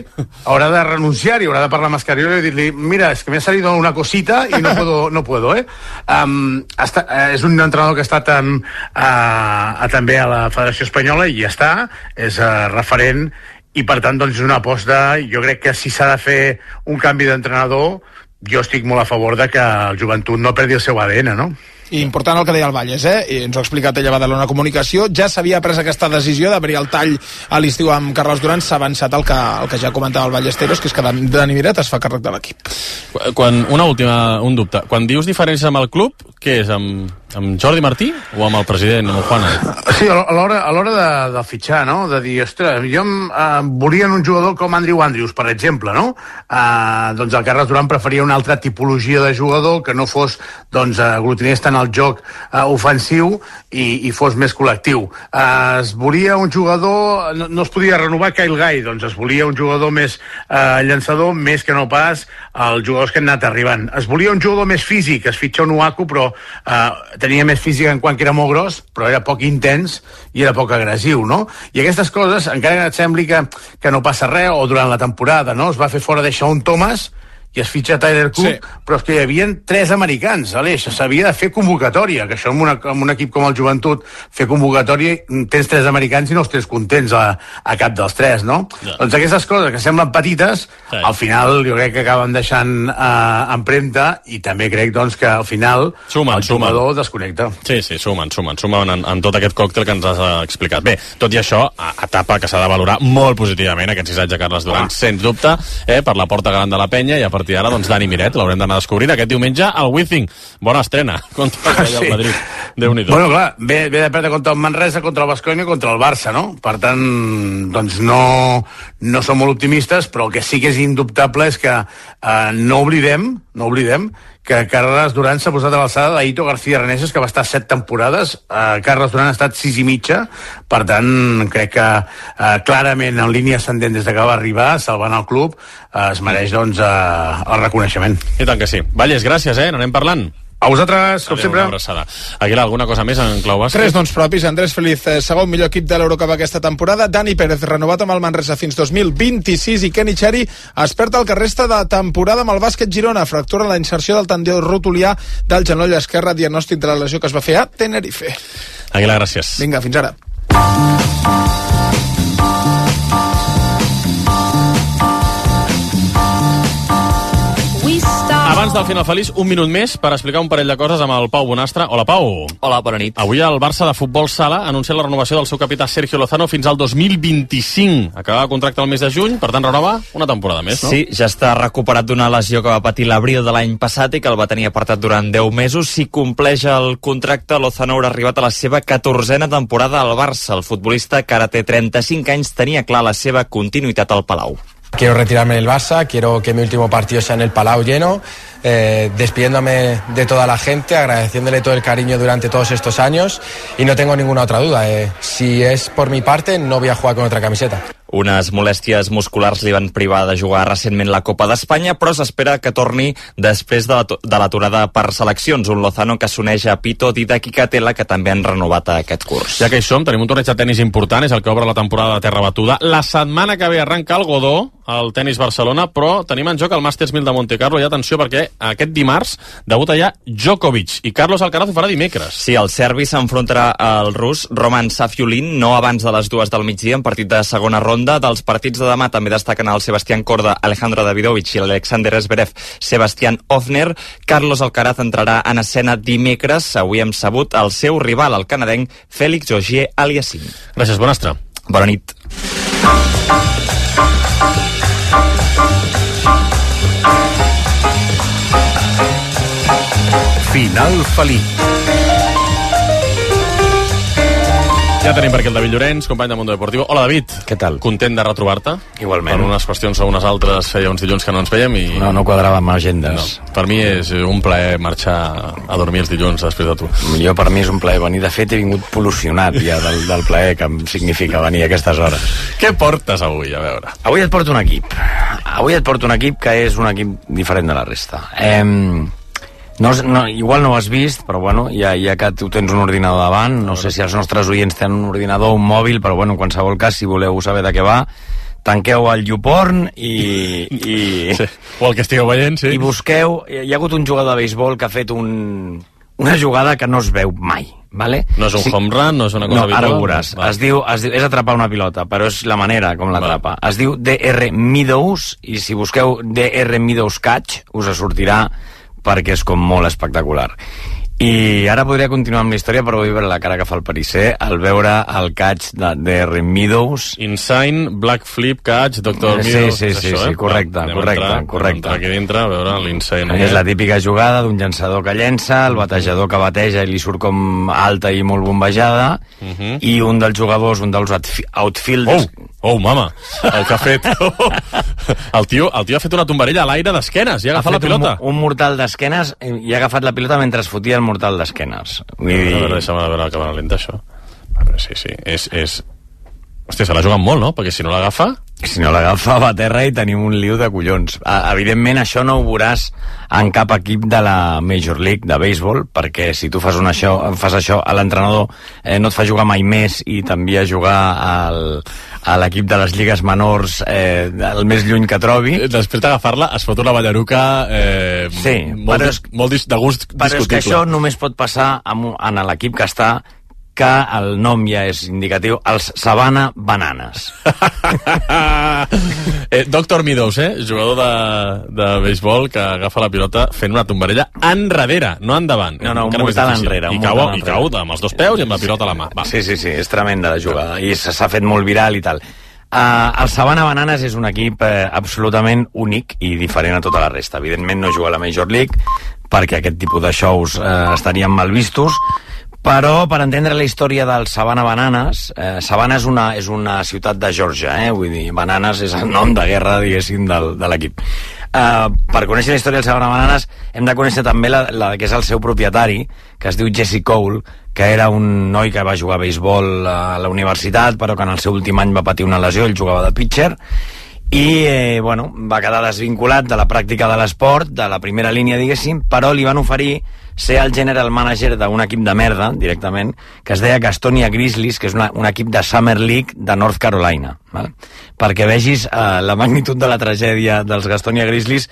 haurà de renunciar i haurà de parlar amb Escariolo i dir-li, mira, és que m'ha salido una cosita i no puedo, no puedo eh? Um, està, eh, és un entrenador que ha estat um, a, a, també a la Federació Espanyola i ja està, és uh, referent, i per tant doncs, és una aposta. Jo crec que si s'ha de fer un canvi d'entrenador, jo estic molt a favor de que el Joventut no perdi el seu A D N, no? I important el que deia el Valles, eh? I ens ho ha explicat ella a Badalona Comunicació. Ja s'havia pres aquesta decisió d'obrir el tall a l'estiu amb Carles Duran. S'ha avançat el que, el que ja comentava el Ballesteros, que és que Dani Miret es fa càrrec de l'equip. Quan, una última, un dubte. Quan dius diferències amb el club, què és? Amb, amb Jordi Martí o amb el president, amb el Juana? Sí, a l'hora a l'hora de, de fitxar, no? De dir, ostres, jo eh, volia un jugador com Andrew Andrews, per exemple, no? Eh, doncs el Carles Duran preferia una altra tipologia de jugador que no fos, doncs, aglutinés tant el joc eh, ofensiu i, i fos més col·lectiu. Eh, es volia un jugador, no, no es podia renovar Kyle Guy, doncs es volia un jugador més eh, llançador, més que no pas els jugadors que han anat arribant. Es volia un jugador més físic, es fitxa un Uaku, però eh, tenia més físic en quant que era molt gros, però era poc intens i era poc agressiu, no? I aquestes coses, encara que et sembli que, que no passa res, o durant la temporada, no? Es va fer fora de Shaun Thomas i es fitxa Tyler Cook, sí. Però és que hi havia tres americans, Aleix, s'havia de fer convocatòria, que això en, una, en un equip com el Joventut, fer convocatòria, tens tres americans i no estàs contents a, a cap dels tres, no? Ja. Doncs aquestes coses que semblen petites, sí. Al final jo crec que acaben deixant eh, empremta, i també crec doncs, que al final sumen, el jugador sumen. desconnecta. Sí, sí, sumen, sumen, sumen en, en tot aquest còctel que ens has explicat. Bé, tot i això, etapa que s'ha de valorar molt positivament, aquest sis anys de Carles Duran, ah. sens dubte, eh, per la porta gran de la penya, i a partir d'ara, doncs, Dani Miret, l'haurem d'anar descobrint aquest diumenge al Wizzing. Bona estrena contra el sí. Madrid. Déu-n'hi-do. Bueno, clar, ve, ve de perdre contra el Manresa, contra el Baskonia i contra el Barça, no? Per tant, doncs no, no som molt optimistes, però el que sí que és indubtable és que eh, no oblidem, no oblidem que Carles Duran s'ha posat a l'alçada d'Aito García Reneses, que va estar set temporades. Eh, Carles Duran ha estat sis i mitja, per tant, crec que eh, clarament en línia ascendent des que va arribar, salvant el club, eh, es mereix, doncs, eh, el reconeixement. I tant que sí. Valles, gràcies, eh? N'anem parlant. A vosaltres, com Adeu, sempre. Una abraçada. Aguilar, alguna cosa més en clau bàsquet? Tres noms propis. Andrés Feliz, segon millor equip de l'Eurocup aquesta temporada. Dani Pérez, renovat amb el Manresa fins dos mil vint-i-sis. I Kenny Cherry es perd el que resta de temporada amb el bàsquet Girona. Fractura la inserció del tendó rotulià del genoll esquerre. Diagnòstic de la lesió que es va fer a Tenerife. Aguilar, gràcies. Vinga, fins ara. Abans del final feliç, un minut més per explicar un parell de coses amb el Pau Bonastre. Hola, Pau. Hola, bona nit. Avui el Barça de Futbol Sala ha anunciat la renovació del seu capità Sergio Lozano fins al dos mil vint-i-cinc. Acabava el contracte el mes de juny, per tant renova una temporada més, no? Sí, ja està recuperat d'una lesió que va patir l'abril de l'any passat i que el va tenir apartat durant deu mesos. Si compleix el contracte, Lozano haurà arribat a la seva catorzena temporada al Barça. El futbolista, que ara té trenta-cinc anys, tenia clar la seva continuïtat al Palau. Quiero retirarme del Barça, quiero que mi último partido sea en el Palau lleno, eh, despidiéndome de toda la gente, agradeciéndole todo el cariño durante todos estos años y no tengo ninguna otra duda. Eh, si es por mi parte, no voy a jugar con otra camiseta. Unes molèsties musculars li van privar de jugar recentment la Copa d'Espanya, però s'espera que torni després de l'aturada per seleccions. Un Lozano que s'uneix a Pito, Didac i Catela, que també han renovat aquest curs. Ja que hi som, tenim un torneig de tenis important, és el que obre la temporada de terra batuda. La setmana que ve arranca el Godó, el tenis Barcelona, però tenim en joc el Masters mil de Monte Carlo, i atenció perquè aquest dimarts debuta ja Djokovic, i Carlos Alcaraz ho farà dimecres. Sí, el serbi s'enfrontarà al rus Roman Safiulin, no abans de les dues del migdia, en partit de segona ronda. Dels partits de demà també destaquen el Sebastián Korda, Alejandro Davidovich i l'Alexander Zverev, Sebastián Ofner. Carlos Alcaraz entrarà en escena dimecres. Avui hem sabut el seu rival, el canadenc Félix Auger-Aliassime. Gràcies, Bonastre. Bona nit. Final feliç. Ja tenim per aquí el David Llorenç, company de Mundo Deportivo. Hola, David. Què tal? Content de retrobar-te. Igualment. Per unes qüestions o unes altres feia uns dilluns que no ens veiem i... No, no quadrava amb agendes. No. Per mi és un plaer marxar a dormir els dilluns després de tu. Jo, per mi és un plaer venir. De fet, he vingut pol·lucionat ja del, del plaer que em significa venir a aquestes hores. Què portes avui, a veure? Avui et porto un equip. Avui et porto un equip que és un equip diferent de la resta. Eh... No, no, igual no ho has vist, però bueno, ja, ja que tu tens un ordinador davant, no sé si els nostres oients tenen un ordinador o un mòbil, però bueno, en qualsevol cas, si voleu saber de què va, tanqueu el YouPorn i... i sí. O el que estigueu veient, sí. I busqueu... Hi ha hagut un jugador de béisbol que ha fet un, una jugada que no es veu mai, ¿vale? No és un sí. home run, no és una cosa no, habitual? Ara ho veuràs. Es diu, es diu, és atrapar una pilota, però és la manera com l'atrapa. Es diu D R Meadows, i si busqueu D R Meadows Catch, us sortirà perquè és com molt espectacular. I ara podria continuar amb la història, però vull veure la cara que fa el Parisser al veure el catch de, de Rim Meadows. Insane, Black Flip, catch, doctor Sí, Meadows. sí, sí, això, sí, eh? correcte, Anem correcte, a entrar, correcte. entrar aquí dintre a veure l'Insane. És la típica jugada d'un llançador que llença, el batejador que bateja i li surt com alta i molt bombejada, Uh -huh. i un dels jugadors, un dels outfi- outfielders... Oh, oh, mama, el que ha fet... el, tio, el tio ha fet una tombarella a l'aire d'esquenes i ha agafat la pilota. Un, un mortal d'esquenes i ha agafat la pilota mentre es fotia el mortal d'esquenes. Vull dir... A veure, deixa'm veure la càmera lenta, això. A veure, sí, sí, és... és... Hòstia, se l'ha jugat molt, no? Perquè si no l'agafa... Si no l'agafa, va a terra i tenim un liu de collons. Ah, evidentment, això no ho veuràs en cap equip de la Major League de béisbol, perquè si tu fas, una això, fas això a l'entrenador eh, no et fa jugar mai més i t'envia a jugar al, a l'equip de les lligues menors eh, el més lluny que trobi. Després d'agafar-la es fot una ballaruca eh, sí, molt, però dis, molt dis, de gust però discutible. és que això només pot passar amb, en l'equip que està, que el nom ja és indicatiu, els Savannah Bananas. eh, doctor Meadows, eh? Jugador de, de béisbol que agafa la pilota fent una tombarella enrere, no endavant. No, no, un Encara més mortal difícil. enrere. I un cau, mortal i enrere. cau amb els dos peus i amb la pilota a la mà. Va. Sí, sí, sí, és tremenda la jugada i s'ha fet molt viral i tal. Uh, el Savannah Bananas és un equip eh, absolutament únic i diferent a tota la resta. Evidentment no juga a la Major League perquè aquest tipus de shows eh, estarien mal vistos, però per entendre la història del Savannah Bananas, eh, Savannah és una, és una ciutat de Georgia, eh? Vull dir, Bananas és el nom de guerra, diguéssim, del, de l'equip. Uh, per conèixer la història del Savannah Bananas hem de conèixer també la, la que és el seu propietari, que es diu Jesse Cole, que era un noi que va jugar a béisbol a la universitat, però que en el seu últim any va patir una lesió, ell jugava de pitcher, i eh, bueno, va quedar desvinculat de la pràctica de l'esport, de la primera línia, diguéssim, però li van oferir ser el general manager d'un equip de merda, directament, que es deia Gastonia Grizzlies, que és una, un equip de Summer League de North Carolina. Val? Perquè vegis eh, la magnitud de la tragèdia dels Gastonia Grizzlies.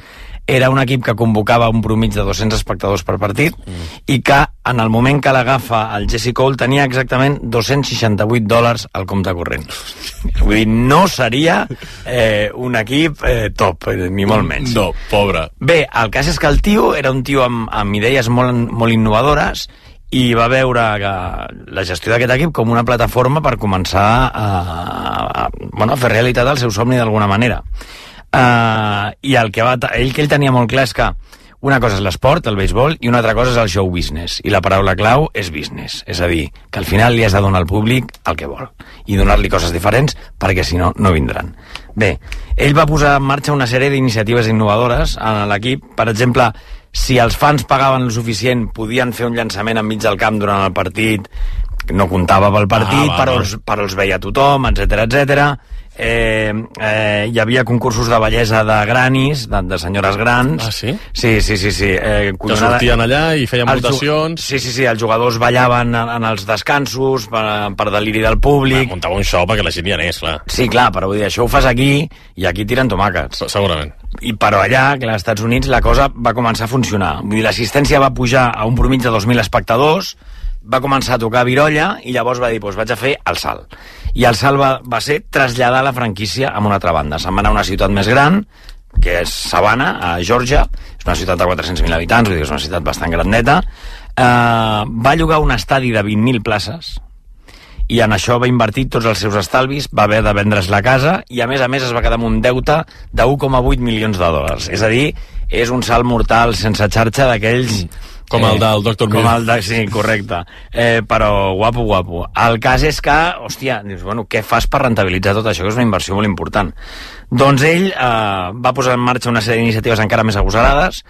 Era un equip que convocava un promig de dos-cents espectadors per partit mm. i que en el moment que l'agafa el Jesse Cole tenia exactament dos-cents seixanta-vuit dòlars al compte corrent. Vull dir, no seria eh, un equip eh, top, eh, ni molt menys. No, pobre. Bé, el cas és que el tio era un tio amb, amb idees molt, molt innovadores i va veure que la gestió d'aquest equip com una plataforma per començar a, a, a, bueno, a fer realitat el seu somni d'alguna manera. Uh, i el que va, ell que ell tenia molt clar és que una cosa és l'esport, el béisbol, i una altra cosa és el show business, i la paraula clau és business, és a dir, que al final li has de donar al públic el que vol i donar-li coses diferents perquè si no, no vindran. Bé, ell va posar en marxa una sèrie d'iniciatives innovadores en l'equip. Per exemple, si els fans pagaven el suficient podien fer un llançament enmig del camp durant el partit, no comptava pel partit, ah, va, però, els, però els veia tothom, etcètera, etcètera. Eh, eh, hi havia concursos de bellesa de granis, de, de senyores grans. Ah, sí? Sí, sí, sí. sí. Eh, que sortien allà i feien votacions. Sí, sí, sí, els jugadors ballaven en, en els descansos per, per deliri del públic. Va, muntava un show perquè la gent hi anés, clar. Sí, clar, però vull dir, això ho fas aquí i aquí tiren tomàquets. Segurament. I però allà, que als Estats Units, la cosa va començar a funcionar. Vull dir, l'assistència va pujar a un promig de dos mil espectadors, va començar a tocar virolla i llavors va dir, doncs vaig a fer el salt. I el salt va, va ser traslladar la franquícia a una altra banda. Se'n va anar a una ciutat més gran, que és Savannah, a Georgia. És una ciutat de quatre-cents mil habitants, vull dir, és una ciutat bastant grandeta. Uh, va llogar un estadi de vint mil places i en això va invertir tots els seus estalvis, va haver de vendre's la casa i a més a més es va quedar amb un deute de un coma vuit milions de dòlars. És a dir, és un salt mortal sense xarxa d'aquells... Com el del doctor Com el de, sí, correcte. Eh, però guapo, guapo. El cas és que, hòstia, dius, bueno, què fas per rentabilitzar tot això, que és una inversió molt important? Doncs ell eh, va posar en marxa una sèrie d'iniciatives encara més agosarades.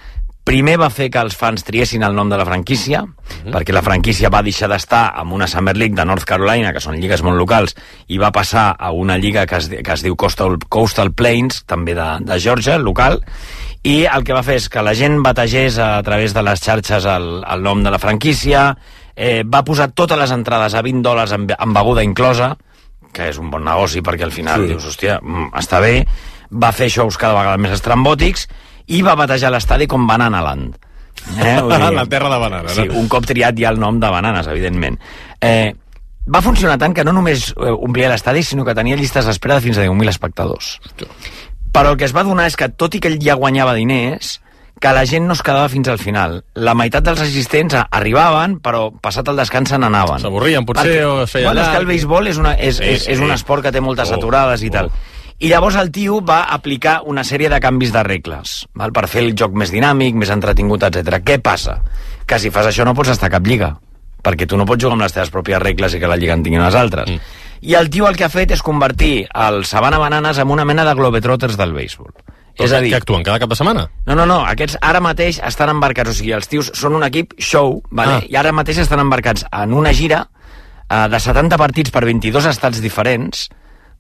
Primer va fer que els fans triessin el nom de la franquícia, uh-huh. perquè la franquícia va deixar d'estar en una Summer League de North Carolina, que són lligues molt locals, i va passar a una lliga que es, que es diu Coastal, Coastal Plains, també de, de Georgia, local, i el que va fer és que la gent bategés a través de les xarxes el, el nom de la franquícia, eh, va posar totes les entrades a vint dòlars amb, amb beguda inclosa, que és un bon negoci perquè al final sí. dius, hòstia, està bé, va fer shows cada vegada més estrambòtics i va batejar l'estadi com Banana Land. Eh? Dir, la terra de bananes. Sí, un cop triat ja el nom de Bananes, evidentment. Eh, va funcionar tant que no només omplia l'estadi, sinó que tenia llistes d'espera de fins a deu mil espectadors. Però el que es va donar és que, tot i que ell ja guanyava diners, que la gent no es quedava fins al final. La meitat dels assistents arribaven, però passat el descans se n'anaven. S'avorrien, potser, Perquè, o es feia bueno, llarg. és que el béisbol és, una, és, Sí, és, sí. és un esport que té moltes Oh, aturades i oh. tal. I llavors el tio va aplicar una sèrie de canvis de regles, val? Per fer el joc més dinàmic, més entretingut, etcètera. Què passa? Que si fas això no pots estar a cap lliga, perquè tu no pots jugar amb les teves pròpies regles i que la lliga en tinguin les altres. Mm. I el tio el que ha fet és convertir el Savannah Bananas en una mena de globetrotters del béisbol. És a dir, que actuen cada cap de setmana? No, no, no, aquests ara mateix estan embarcats, o sigui, els tios són un equip show, vale? Ah. I ara mateix estan embarcats en una gira uh, de setanta partits per vint-i-dos estats diferents,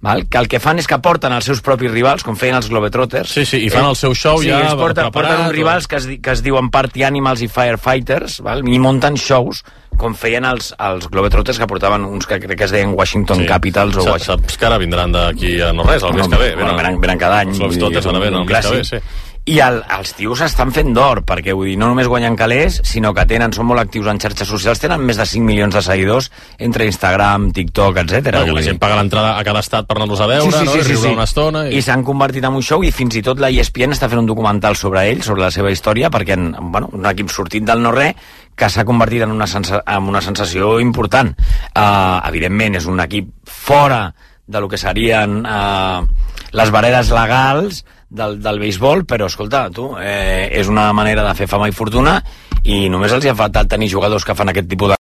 val? Que el que fan és que porten els seus propis rivals, com feien els Globetrotters. Sí, sí, i fan el seu show sí, ja es porten, preparat, porten uns rivals que es, di- que es diuen Party Animals i Firefighters, val? I munten shows com feien els, els Globetrotters, que portaven uns que crec que es deien Washington Sí. Capitals o Sa- Washington... Saps que ara vindran d'aquí a no res, el mes que ve. Bueno, venen, venen cada any. Els Globetrotters van a veure el mes que ve, sí. I el, els tios estan fent d'or, perquè vull dir, no només guanyen calés, sinó que tenen, són molt actius en xarxes socials, tenen més de cinc milions de seguidors entre Instagram, TikTok, etcètera. Perquè la gent paga l'entrada a cada estat per anar-los a veure, Sí, sí, no? sí, I sí, riure sí. una estona. I, I s'han convertit en un show, i fins i tot la E S P N està fent un documental sobre ells, sobre la seva història, perquè en, bueno, un equip sortit del no-res que s'ha convertit en una, sensa, en una sensació important. Uh, evidentment, és un equip fora de lo que serien uh, les barreres legals del, del béisbol, però escolta, tu, eh, és una manera de fer fama i fortuna, i només els hi ha faltat tenir jugadors que fan aquest tipus de